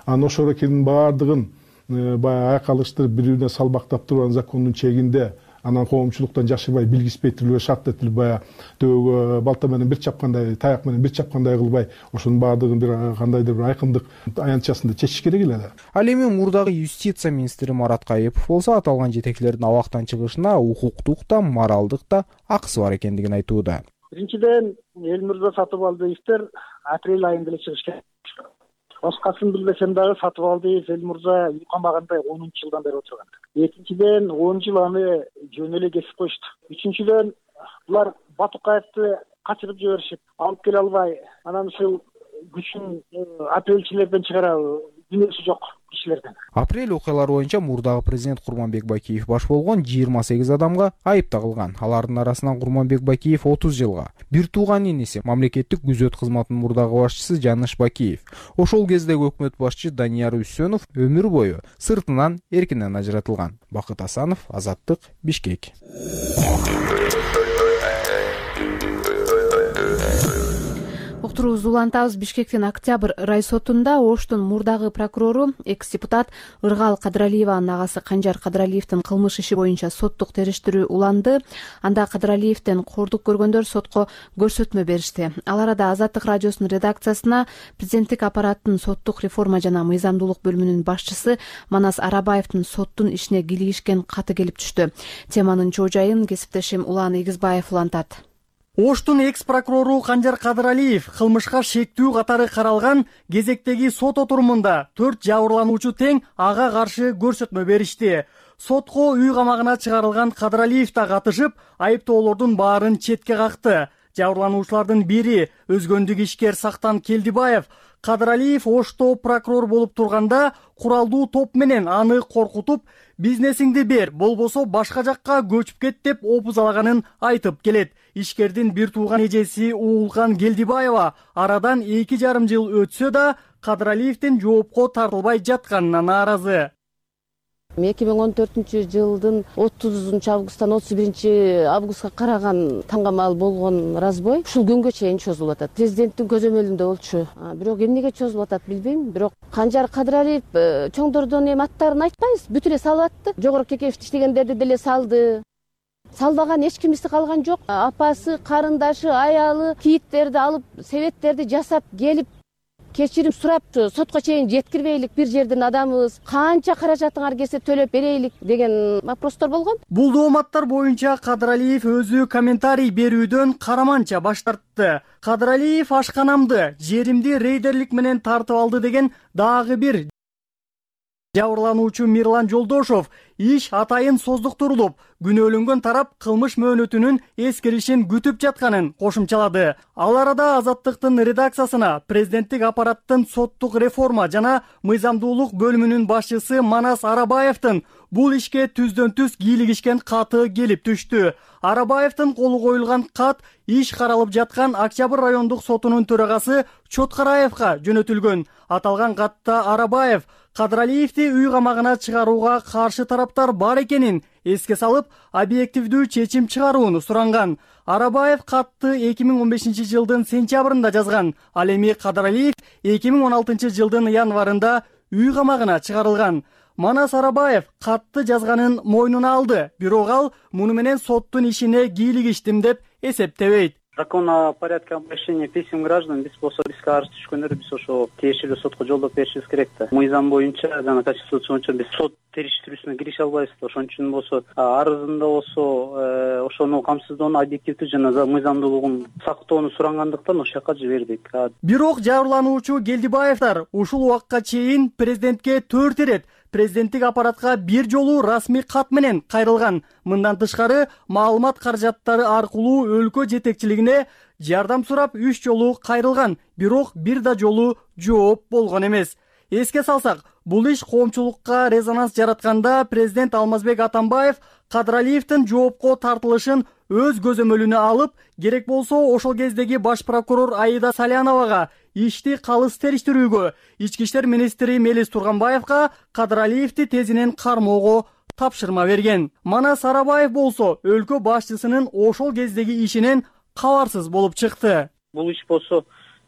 Анан ошолордун баардыгын баягы айкалыштырып бири-бирине салбактап турган закондун чегинде, анан коомчулуктан жашырбай, билгиспей тилбей, шарт этилбей, баягы төбөгө балта менен бир чапкандай, таяк менен бир чапкандай кылбай, ошонун баардыгын бир кандайдыр бир айкындык аянтчасында чечиш керек эле да. Ал эми мурдагы юстиция министри Марат Кайыпов болсо, аталган жетекчилердин абактан чыгышына укуктук да, моралдык да акысы бар экендигин айтууда. Биринчиден, Элмурза Сатыбалдиевдер апрель айында эле чыгыш керек. Башкасын билбесем дагы Сатыбалдиев Элмурза үй камагында 10-жылдан бери отурган. Экинчиден, 10 жыл аны жөн эле кесип коюшту. Үчүнчүдөн, булар Батукаевди качырып жиберишип, алып келе албай, анан ушул күчүн апрельчилерден чыгарабы, дүнөсү жок кишилерден. Апрель окуялары боюнча мурдагы президент Курманбек Бакиев баш болгон 28 адамга айып тагылган. Алардын арасынан Курманбек Бакиев 30 жылга, бир тууган иниси мамлекеттик күзөт кызматынын мурдагы башчысы Жаныш Бакиев, ошол кездеги өкмөт башчы Данияр Үсөнов өмүр бою сыртынан эркинен ажыратылган. Бакыт Асанов, Азаттык, Бишкек. Уктуруубузду улантабыз. Бишкектин Октябрь райсотунда Оштун мурдагы прокурору, экс-депутат Ыргал Кадыралиеванын агасы Канжар Кадыралиевдин кылмыш иши боюнча соттук териштирүү уланды. Анда Кадыралиевден кордук көргөндөр сотко көрсөтмө беришти. Ал арада Азаттык радиосунун редакциясына президенттик аппараттын соттук реформа жана мыйзамдуулук бөлүмүнүн башчысы Манас Арабаевдин соттун ишине кийлигишкен каты келип түштү. Теманын чоо жайын кесиптешим Улан Эгизбаев улантат. Оштун экс-прокурору Канжар Кадыралиев кылмышка шектүү катары каралган кезектеги сот отурумунда 4 жабырлануучу тең ага каршы көрсөтмө беришти. Сотко үй камагына чыгарылган Кадыралиев да катышып, айыптоолордун баарын четке какты. Жабырлануучулардын бири өзгөндүк ишкер Сактан Келдибаев Кадыралиев Ошто прокурор болуп турганда куралдуу топ менен аны коркутуп, бизнесиңди бер, болбосо башка жакка көчүп кет деп опузалаганын айтып келет. Ишкердин бир тууган эжеси Уулкан Келдибаева арадан 2,5 жыл өтсө да Кадыралиевдин жоопко тартылбай жатканына нааразы. 2014-жылдын 30 августтан 31 караган таңгамал болгон разбой ушул күнгө чейин чозулуп атат. Президенттин көзөмөлүндө болчу. Бирок эмнеге чозулуп атат билбейм. Бирок Канжар Кадыралиев чоңдордон эми аттарын айтпайбыз, бүтү эле салып атты. Жогору Кекеевди иштегендерди деле салды. Салбаган эч кимиси калган жок. Апасы, карындашы, аялы кийиттерди алып, себеттерди жасап келип кечирим сурап сотко чейин жеткирбейлик, бир жердин адамыбыз, канча каражатыңар келсе төлөп берейлик деген вопростор болгон. Бул дооматтар боюнча Кадыралиев өзү комментарий берүүдөн караманча баш тартты. Кадыралиев ашканамды, жеримди рейдерлик менен тартып алды деген дагы бир жабырлануучу Мирлан Жолдошов иш атайын создуктурулуп, күнөөлөнгөн тарап кылмыш мөөнөтүнүн эскиришин күтүп жатканын кошумчалады. Ал арада Азаттыктын редакциясына президенттик аппараттын соттук реформа жана мыйзамдуулук бөлүмүнүн башчысы Манас Арабаевдин бул ишке түздөн-түз кийлигишкен каты келип түштү. Арабаевдин колу коюлган кат иш каралып жаткан Октябрь райондук сотунун төрагасы Чоткараевга жөнөтүлгөн. Аталган катта Арабаев Кадыралиевди үй камагына чыгарууга каршы тараптар бар экенин эске салып, объективдүү чечим чыгарууну суранган. Арабаев катты 2015 жылдын сентябрында жазган. Ал эми Кадыралиев 2016 жылдын январында үй камагына чыгарылган. Манас Арабаев катты жазганын мойнуна алды, бирок ал муну менен соттун ишине кийлигиштим деп эсептебейт. Закон о порядке обращения писем граждан биз болсо бизге арыз түшкөндөр биз ошо тиешелүү сотко жолдоп беришибиз керек да. Мыйзам боюнча жана конституция боюнча биз сот териштирүүсүнө кирише албайбыз да. Ошон үчүн болсо арызында болсо ошону камсыздоону объективдүү жана мыйзамдуулугун сактоону сурангандыктан ошол жака жибердик. Бирок жабырлануучу Гелдибаевдер ушул убакка чейин президентке 4 ирет президенттик аппаратка бир жолу расмий кат менен кайрылган. Мындан тышкары маалымат каражаттары аркылуу өлкө жетекчилигине жардам сурап 3 жолу кайрылган, бирок бир да жолу жооп болгон эмес. Эске салсак, бул иш коомчулукка резонанс жаратканда президент Алмазбек Атамбаев Кадыралиевдин жоопко тартылышын өз көзөмөлүнө алып, керек болсо ошол кездеги баш прокурор Аида Саляновага ишти калыс териштирүүгө, ички иштер министри Мелис Турганбаевга Кадыралиевди тезинен кармоого тапшырма берген. Манас Арабаев болсо өлкө башчысынын ошол кездеги ишинен кабарсыз болуп чыкты. Бул иш болсо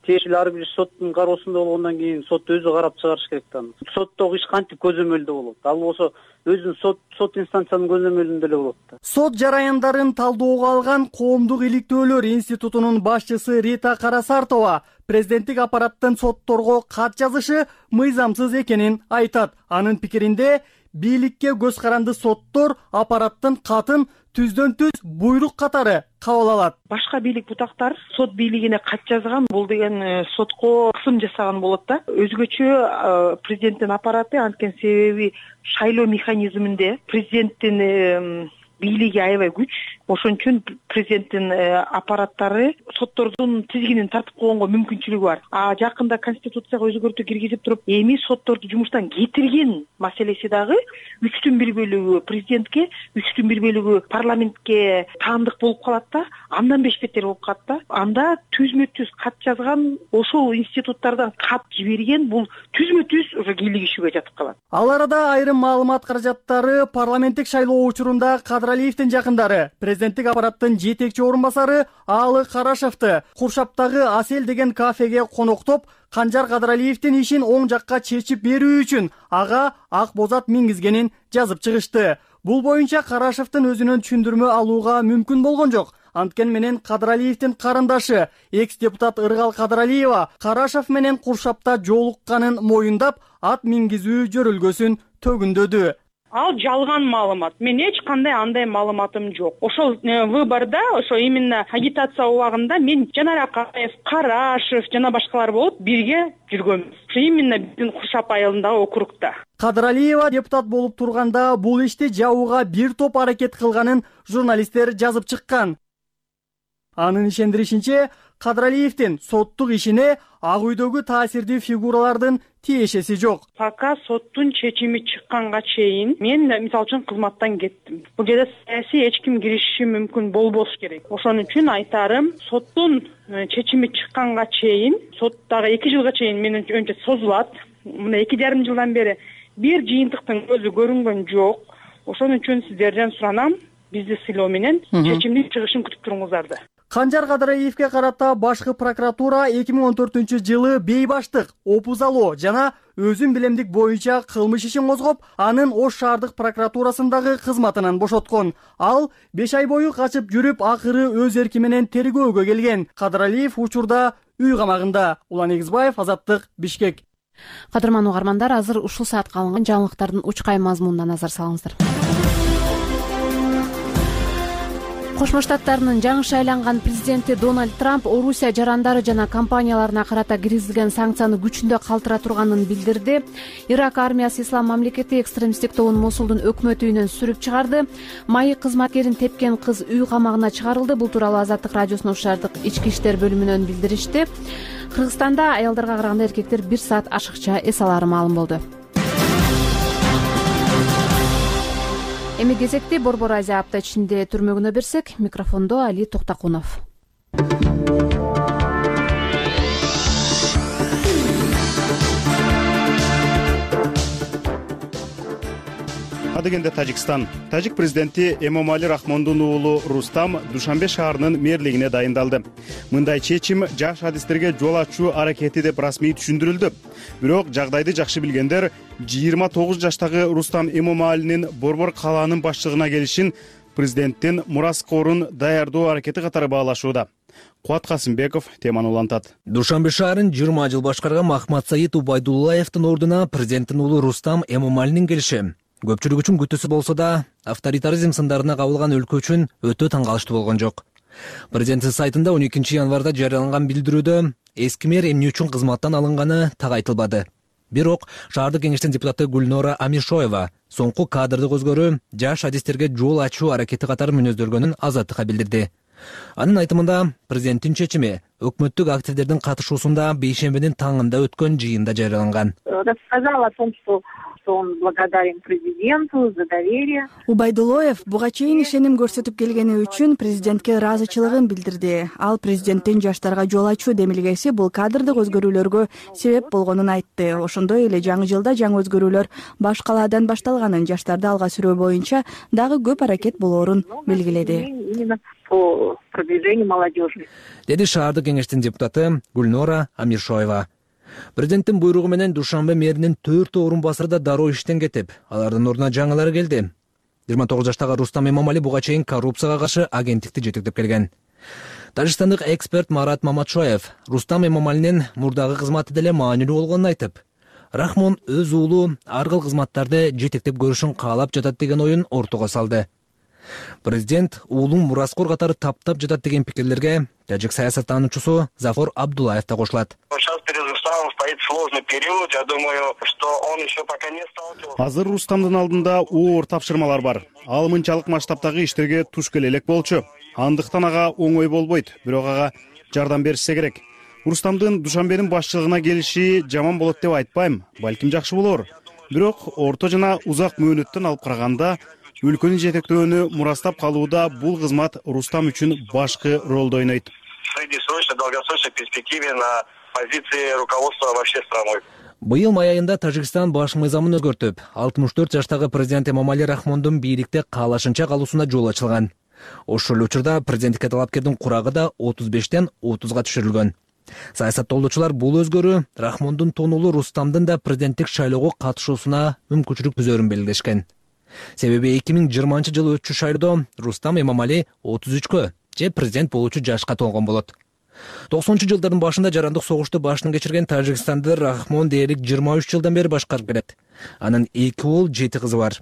тиешелүү ар бир соттун кароосунда болгондон кийин сот өзү карап чыгарыш керек да. Соттогу иш кантип көзөмөлдө болот? Ал болсо өзүнүн сот инстанциянын көзөмөлүндө эле болот да. Сот жараяндарын талдоого алган Коомдук иликтөөлөр институтунун башчысы Рита Карасартова президенттик аппараттын сотторго кат жазышы мыйзамсыз экенин айтат. Анын пикиринде бийликке көз каранды соттор аппараттын катын түздөн-түз буйрук катары кабыл алат. Башка бийлик бутактар сот бийлигине кат жазган, бул деген сотко кысым жасаган болот да. Өзгөчө президенттин аппараты анткен себеби шайлоо механизминде президенттин бийлиги аябай күч. Ошон үчүн президенттин аппараттары соттордун тизгинин тартып койгонго мүмкүнчүлүгү бар. Жакында конституцияга өзгөртүү киргизип туруп, эми сотторду жумуштан кетирген маселеси дагы 3/1 президентке, 3/1 парламентке таандык болуп калат да, андан бешбеттер болуп калат да. Анда түзмө-түз кат жазган, ошол институттардан кат жиберген, бул түзмө-түз уже кийлигишүүгө жатып калат. Ал арада айрым маалымат каражаттары парламенттик шайлоо учурунда Кадыралиевдин жакындары президенттик аппараттын жетекчи орун басары Аалы Карашевди Куршаптагы Асел деген кафеге коноктоп, Канжар Кадыралиевдин ишин оң жакка чечип берүү үчүн ага ак бозат мингизгенин жазып чыгышты. Бул боюнча Карашевдин өзүнөн түшүндүрмө алууга мүмкүн болгон жок. Анткен менен Кадыралиевдин карындашы экс-депутат Ыргал Кадыралиева Карашев менен Куршапта жолукканын моюндап, ат мингизүү жөрөлгөсүн төгүндөдү. Ал жалган маалымат. Мен эч кандай андай маалыматым жок. Ошол выборда, ошо именно агитация убагында мен Жанар Акаев, Карашев жана башкалар болуп бирге жүргөнбүз. Ошо именно биздин Куршап айылындагы округда. Кадыралиева депутат болуп турганда бул ишти жабууга бир топ аракет кылганын журналисттер жазып чыккан. Анын ишендиришинче, Кадыралиевдин соттук ишине Ак үйдөгү таасирдүү фигуралардын тиешеси жок. Пока соттун чечими чыкканга чейин мен мисалы үчүн кызматтан кеттим. Бул жерде саясий эч ким киришиши мүмкүн болбош керек. Ошон үчүн айтарым, соттун чечими чыкканга чейин, сот дагы 2 жылга чейин менимче созулат. Мына 2,5 жылдан бери бир жыйынтыктын көзү көрүнгөн жок. Ошон үчүн сиздерден суранам, бизди сыйлоо менен чечимдин чыгышын күтүп туруңуздарды. Канжар Кадыраевге карата башкы прокуратура 2014-жылы бейбаштык, опузалоо жана өзүн билемдик боюнча кылмыш ишин козгоп, анын Ош шаардык прокуратурасындагы кызматынан бошоткон. Ал 5 ай бою качып жүрүп, акыры өз эрки менен тергөөгө келген. Кадыралиев учурда үй камагында. Улан Эгизбаев, Азаттык, Бишкек. Кадырман угармандар, азыр ушул саатка алынган жаңылыктардын учкай мазмунуна назар салыңыздар. Кошмо Штаттарынын жаңы шайланган президенти Дональд Трамп Орусия жарандары жана компанияларына карата киргизилген санкцияны күчүндө калтыра турганын билдирди. Ирак армиясы Ислам мамлекети экстремисттик тобун Мосулдун өкмөт үйүнөн сүрүп чыгарды. Майык кызматкерин тепкен кыз үй камагына чыгарылды. Бул тууралуу Азаттык радиосуна Ош шаардык ички иштер бөлүмүнөн билдиришти. Кыргызстанда аялдарга караганда эркектер 1 саат ашыкча эс алары маалым болду. Эми кезекти Борбор Азия апта ичинде түрмөгүнө берсек, микрофондо Али Токтакунов. Адыгенде Тажикстан. Тажик президенти Эмомали Рахмондун уулу Рустам Душанбе шаарынын мэрлигине дайындалды. Мындай чечим жаш адистерге жол ачуу аракети деп расмий түшүндүрүлдү. Бирок жагдайды жакшы билгендер 29 жаштагы Рустам Эмомалинин Борбор калаанын башчылыгына келишин президенттин мураскорун даярдоо аракети катары баалашууда. Куат Касымбеков теманы улантат. Душанбе шаарын 20 жыл башкарган Махмат Саид Убайдуллаевдин ордуна президенттин уулу Рустам Эмомалинин келиши көпчүлүк үчүн күтүүсүз болсо да, авторитаризм сындарына кабылган өлкө үчүн өтө таң калыштуу болгон жок. Президенттин сайтында 12 январда жарыяланган билдирүүдө эски мэр эмне үчүн кызматтан алынганы так айтылбады. Бирок шаардык кеңештин депутаты Гульнора Амишоева соңку кадрды көзгөрүү жаш адистерге жол ачуу аракети катары мүнөздөлгөнүн Азаттыкка билдирди. Анын айтымында президенттин чечими өкмөттүк активдердин катышуусунда бейшембинин таңында өткөн жыйында жарыяланган. Рассказал о том, что он благодарен президенту за доверие. Убайдуллаев буга чейин ишеним көрсөтүп келгени үчүн президентке ыраазычылыгын билдирди. Ал президенттин жаштарга жол ачуу демилгеси бул кадрдык өзгөрүүлөргө себеп болгонун айтты. Ошондой эле жаңы жылда жаңы өзгөрүүлөр баш калаадан башталганын, жаштарды алга сүрөө боюнча дагы көп аракет болоорун белгиледи. Именно по продвижению молодежи. Деди шаардык кеңештин депутаты Гульнора Амишоева. Президенттин буйругу менен Душанбе мэринин 4 орун басары да дароо иштен кетип, алардын ордуна жаңылары келди. 29 жаштагы Рустам Эмомали буга чейин коррупцияга каршы агенттикти жетектеп келген. Тажикстандык эксперт Марат Маматшоев Рустам Эмомалинин мурдагы кызматы деле маанилүү болгонун айтып, Рахмон өз уулу ар кыл кызматтарды жетектеп көрүшүн каалап жатат деген оюн ортого салды. Президент уулун мураскор катары таптап жатат деген пикирлерге тажик саясаттануучусу Зафор Абдуллаев да кошулат. Стоит сложный период, я думаю, что он еще пока не сталкивался. Азыр Рустамдын алдында оор тапшырмалар бар. Ал мынчалык масштабтагы иштерге туш келе элек болчу. Андыктан ага оңой болбойт, бирок ага жардам беришсе керек. Рустамдын Душанбенин башчылыгына келиши жаман болот деп айтпайм, балким жакшы болор. Бирок орто жана узак мөөнөттөн алып караганда өлкөнү жетектөөнү мурастап калууда бул кызмат Рустам үчүн башкы ролду ойнойт. В среднесрочной, долгосрочной перспективе на позиции руководства вообще страной. Быйыл май айында Тажикстан баш мыйзамын өзгөртүп, 64 жаштагы президент Эмомали Рахмондун бийликте каалашынча калуусуна жол ачылган. Ошол учурда президенттикке талапкердин курагы да 35тен 30га түшүрүлгөн. Саясаттоолчулар бул өзгөрүү Рахмондун тонулу Рустамдын да президенттик шайлоого катышуусуна мүмкүнчүлүк түзөрүн белгилешкен. Себеби 2020 жылы өтчү шайлоодо Рустам Эмомали 33кө же президент болуучу жашка толгон болот. 90 жылдардын башында жарандык согушту башынан кечирген Тажикстанды Рахмон дээрлик 23 жылдан бери башкарып келет. Анын 2 уул 7 кызы бар.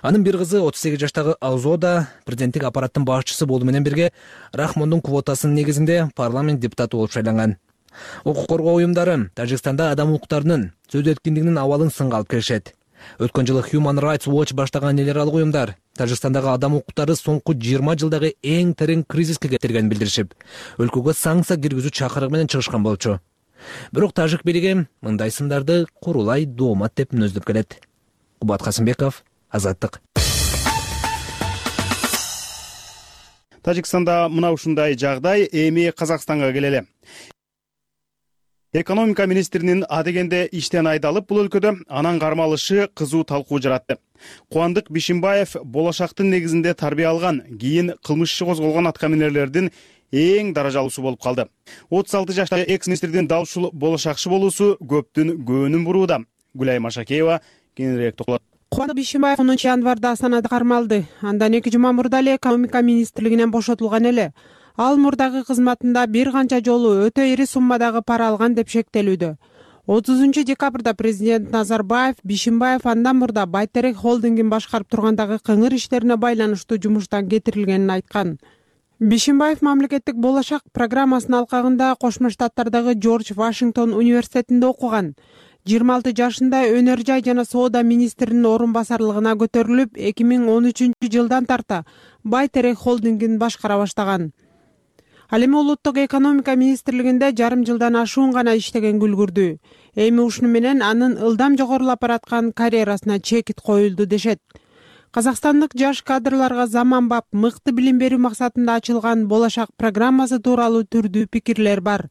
Анын бир кызы 38 жаштагы Аузода президенттик аппараттын башчысы болуу менен бирге Рахмондун квотасынын негизинде парламент депутаты болуп шайланган. Укук коргоо уюмдары Тажикстанда адам укуктарынын, сөз эркиндигинин абалын сынга алып келишет. Өткөн жылы Human Rights Watch баштаган эл аралык уюмдар Тажикстандагы адам укуктары соңку 20 жылдагы эң терең кризиске кетиргенин билдиришип, өлкөгө санкция киргизүү чакырыгы менен чыгышкан болчу. Бирок тажик бийлиги мындай сындарды курулай доомат деп мүнөздөп келет. Кубат Касымбеков, Азаттык. Тажикстанда мына ушундай жагдай, эми Казакстанга келели. Экономика министринин адегенде иштен айдалып бул өлкөдө анан кармалышы кызуу талкуу жаратты. Кубандык Бишимбаев болошактын негизинде тарбия алган, кийин кылмыш иши козголгон аткаминерлердин эң даражалуусу болуп калды. 36 жаштагы экс-министрдин дал ушул болошакчы болуусу көптүн көңүлүн бурууда. Гүлай Машакеева кененирээк токтолот. Кубаныч Бишимбаев 10 январда Астанада кармалды. Андан 2 жума мурда эле экономика министрлигинен бошотулган эле. Ал мурдагы кызматында бир канча жолу өтө ири суммадагы пара алган деп шектелүүдө. 30 декабрда президент Назарбаев Бишимбаев андан мурда Байтерек холдингин башкарып тургандагы кыңыр иштерине байланыштуу жумуштан кетирилгенин айткан. Бишимбаев мамлекеттик болошак программасынын алкагында Кошмо Штаттардагы Джордж Вашингтон университетинде окуган. 26 жашында өнөр жай жана соода министринин орун басарлыгына көтөрүлүп, 2013-жылдан тарта Байтерек холдингин башкара баштаган. Ал эми улуттук экономика министрлигинде жарым жылдан ашуун гана иштеген күлгүрдү. Эми ушуну менен анын ылдам жогорулап бараткан карьерасына чекит коюлду дешет. Казакстандык жаш кадрларга заманбап мыкты билим берүү максатында ачылган болошак программасы тууралуу түрдүү пикирлер бар.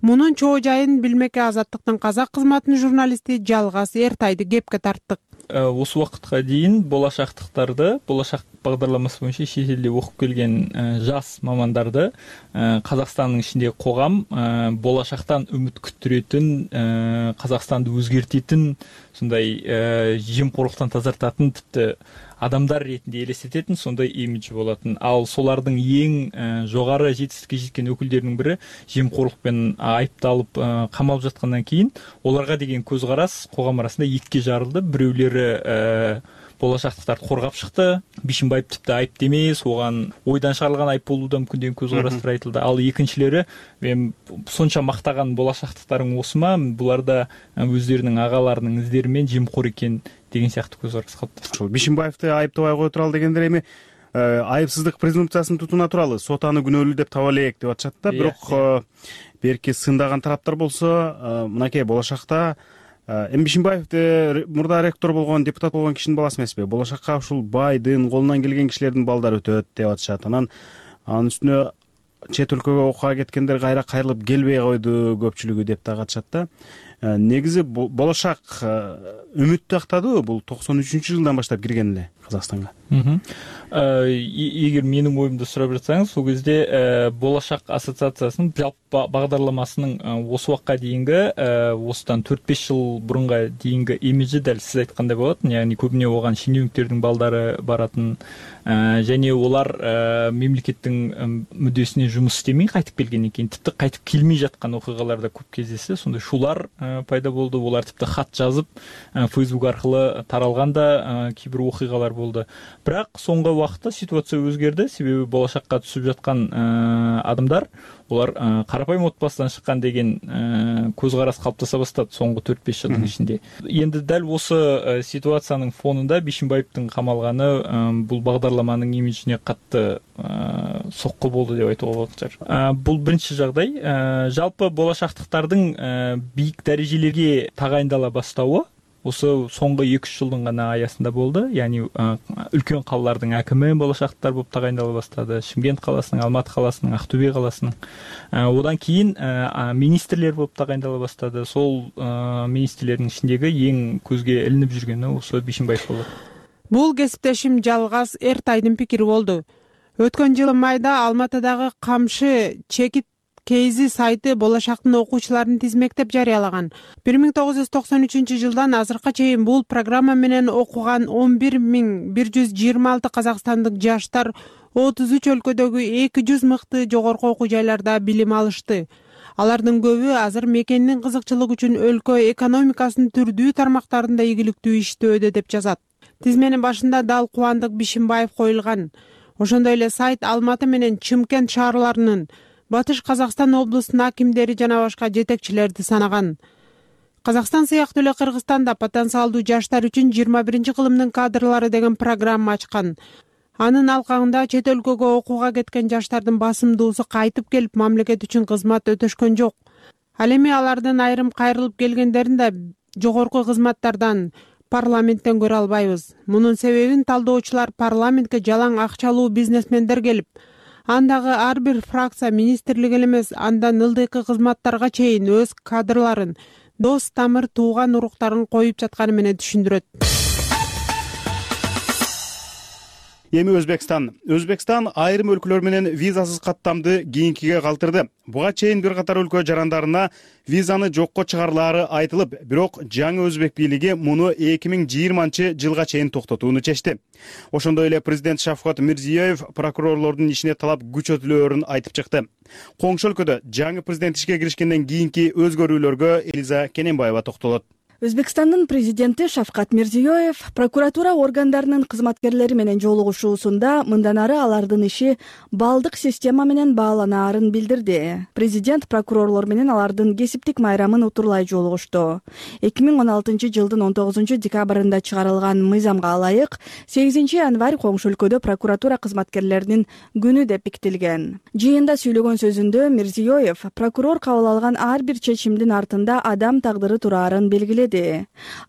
Мунун чоо жайын билмекке Азаттыктын казак кызматынын журналисти Жалгас Эртайды кепке тарттык. Осы убакытка дейин болошактыктарды, болошак багдарламасы боюнча чет элде окуп келген жас мамандарды Казакстандын ичиндеги когам болошактан үмүт күттүрөтүн, Казакстанды өзгертетін, сондай жемкорлуктан тазартатын, типти адамдар ретинде элестететін сондай имидж болатын. Ал солардын эң жогары жетистикке жеткен өкүлдөрүнүн бири жемкорлук айыпталып камалып жаткандан кийин оларга деген көз карас когам арасында экиге жарылды. Бирөөлөрү болошактыктарды коргап чыкты. Бишимбаев типти айып эмес, оган ойдан чыгарылган айып болуу да мүмкүн деген көз карастар айтылды. Ал экинчилери мен сонча мактаган болошактыктарың осума, буларда өздөрүнүн агаларынын издери менен жемкор экен деген сыяктуу көз карас калыптыр. Ошол Бишимбаевди айыптабай кое туралы дегендер эми айыпсыздык презумпциясын тутууна туралы сот аны күнөөлүү деп таба элек деп атышат да. Бирок берки сындаган тараптар болсо мынакей болошакта эми Бишимбаевди мурда ректор болгон, депутат болгон кишинин баласы эмеспи? Болошакка ушул байдын, колунан келген кишилердин балдары өтөт деп атышат. Анан анын үстүнө чет өлкөгө окууга кеткендер кайра кайрылып келбей койду көпчүлүгү деп да катышат да. Негизи болошак үмүттү актадыбы? Бул 93-жылдан баштап кирген эле Казакстанга. Эгер менин оюмду сурап жатсаңыз, сол кезде болошак ассоциациясынын жалпы багдарламасынын осы убакка дейинги, осудан 4-5 жыл бурунга дейинги имиджи дәл сиз айткандай болот. Яғни көбүнө оган шенеуниктердин балдары баратын, және олар мемлекеттин мүддөсүнө жумуш иштемей кайтып келгенден кийин типти кайтып келмей жаткан окуялар да көп кездешти. Сондай шулар пайда болду. Олар типти хат жазып, Facebook аркылуу таралган да кээ бир окуялар болду. Бирок соңку убакытта ситуация өзгөрдү. Себеби болошакка түсүп жаткан адамдар, олар карапайым отбасыдан чыккан деген көз карас калыптаса баштады соңку 4-5 жылдын ичинде. Энди дал осы ситуациянын фонунда Бишимбаевдин камалганы бул багдарламанын имиджине катты сокку болду деп айтууга болот. Бул биринчи жагдай. Жалпы болошактыктардын бийик дарежелерге тагайындала баштабы осы соңғы 2-3 жылдың ғана аясында болды. Яғни үлкен қалалардың әкімі болашақтар болып тағайындала бастады. Шымкент қаласының, Алматы қаласының, Ақтөбе қаласының. Одан кейін министрлер болып тағайындала бастады. Сол министрлердің ішіндегі ең көзге ілініп жүргені осы Бишимбаев болды. Бул кесиптешим Жалгас Эртайдын пикири болду. Өткөн жылы майда Алматыдагы Камшы чекит Кейзи сайты болошактын окуучуларын тизмектеп жарыялаган. 1993-жылдан азыркыга чейин бул программа менен окуган 11126 казакстандык жаштар 33 өлкөдөгү 200 мыкты жогорку окуу жайларда билим алышты. Алардын көбү азыр мекендин кызыкчылыгы үчүн өлкө экономикасынын түрдүү тармактарында ийгиликтүү иштөөдө деп жазат. Тизменин башында дал Кубандык Бишимбаев коюлган. Ошондой эле сайт Алматы менен Чымкент шаарларынын, Батыш Казакстан облусунун акимдери жана башка жетекчилерди санаган. Казакстан сыяктуу эле Кыргызстанда потенциалдуу жаштар үчүн 21-кылымдын кадрлары деген программа ачкан. Анын алкагында чет өлкөгө окууга кеткен жаштардын басымдуусу кайтып келип мамлекет үчүн кызмат өтөшкөн жок. Ал эми алардын айрым кайрылып келгендерин да жогорку кызматтардан, парламенттен көрө албайбыз. Мунун себебин талдоочулар парламентке жалаң акчалуу бизнесмендер келип, андагы ар бир фракция министрлик эле эмес, андан ылдыйкы кызматтарга чейин өз кадрларын, дос тамыр тууган уруктарын коюп жатканы менен түшүндүрөт. Эми Өзбекстан айрым өлкөлөр менен визасыз каттамды кийинкиге калтырды. Буга чейин бир катар өлкө жарандарына визаны жокко чыгарылаары айтылып, бирок жаңы өзбек бийлиги муну 2020-жылга чейин токтотууну чечти. Ошондой эле президент Шавкат Мирзиёев прокурорлордун ишине талап күчөтүлөөрүн айтып чыкты. Коңшу өлкөдө жаңы президент ишке киришкенден кийинки өзгөрүүлөргө Элиза Кененбаева токтолот. Өзбекстандын президенти Шавкат Мирзиёев прокуратура органдарынын кызматкерлери менен жолугушуусунда мындан ары алардын иши балдык система менен бааланаарын билдирди. Президент прокурорлор менен алардын кесиптик майрамын утурлай жолугушту. 2016-жылдын 19-декабрында чыгарылган мыйзамга ылайык 8-январь коңшу өлкөдө прокуратура кызматкерлеринин күнү деп бекитилген. Жыйында сүйлөгөн сөзүндө Мирзиёев прокурор кабыл алган ар бир чечимдин артында адам тагдыры турарын белгиледи.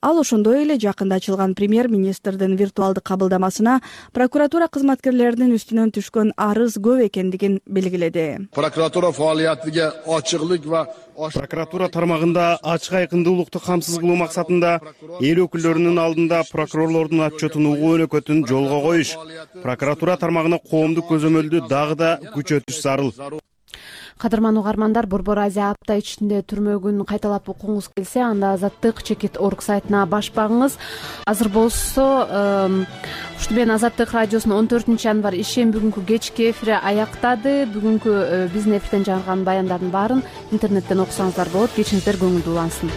Ал ошондой эле жакында ачылган премьер-министрдин виртуалдык кабылдамасына прокуратура кызматкерлеринин үстүнөн түшкөн арыз көп экендигин белгиледи. Прокуратура фаалиятыга ачыклык ва прокуратура тармагында ачык айкындуулукту камсыз кылуу максатында эл өкүлдөрүнүн алдында прокурорлордун отчетун угуу өнөкөтүн жолго коюш, прокуратура тармагына коомдук көзөмөлдү дагы да күчөтүш зарыл. Кадырман угармандар, Борбор Азия апта ичинде түрмөгүн кайталап окуңуз келсе, анда Азаттык Чекит.org сайтына баш багыңыз. Азыр болсо ушул менен Азаттык радиосунун 14-январь ишен бүгүнкү кечки эфири аяктады. Бүгүнкү биздин эфирден жаңырган баяндардын баарын интернеттен окусаңыздар болот. Кечиңиздер көңүлдүү улансын.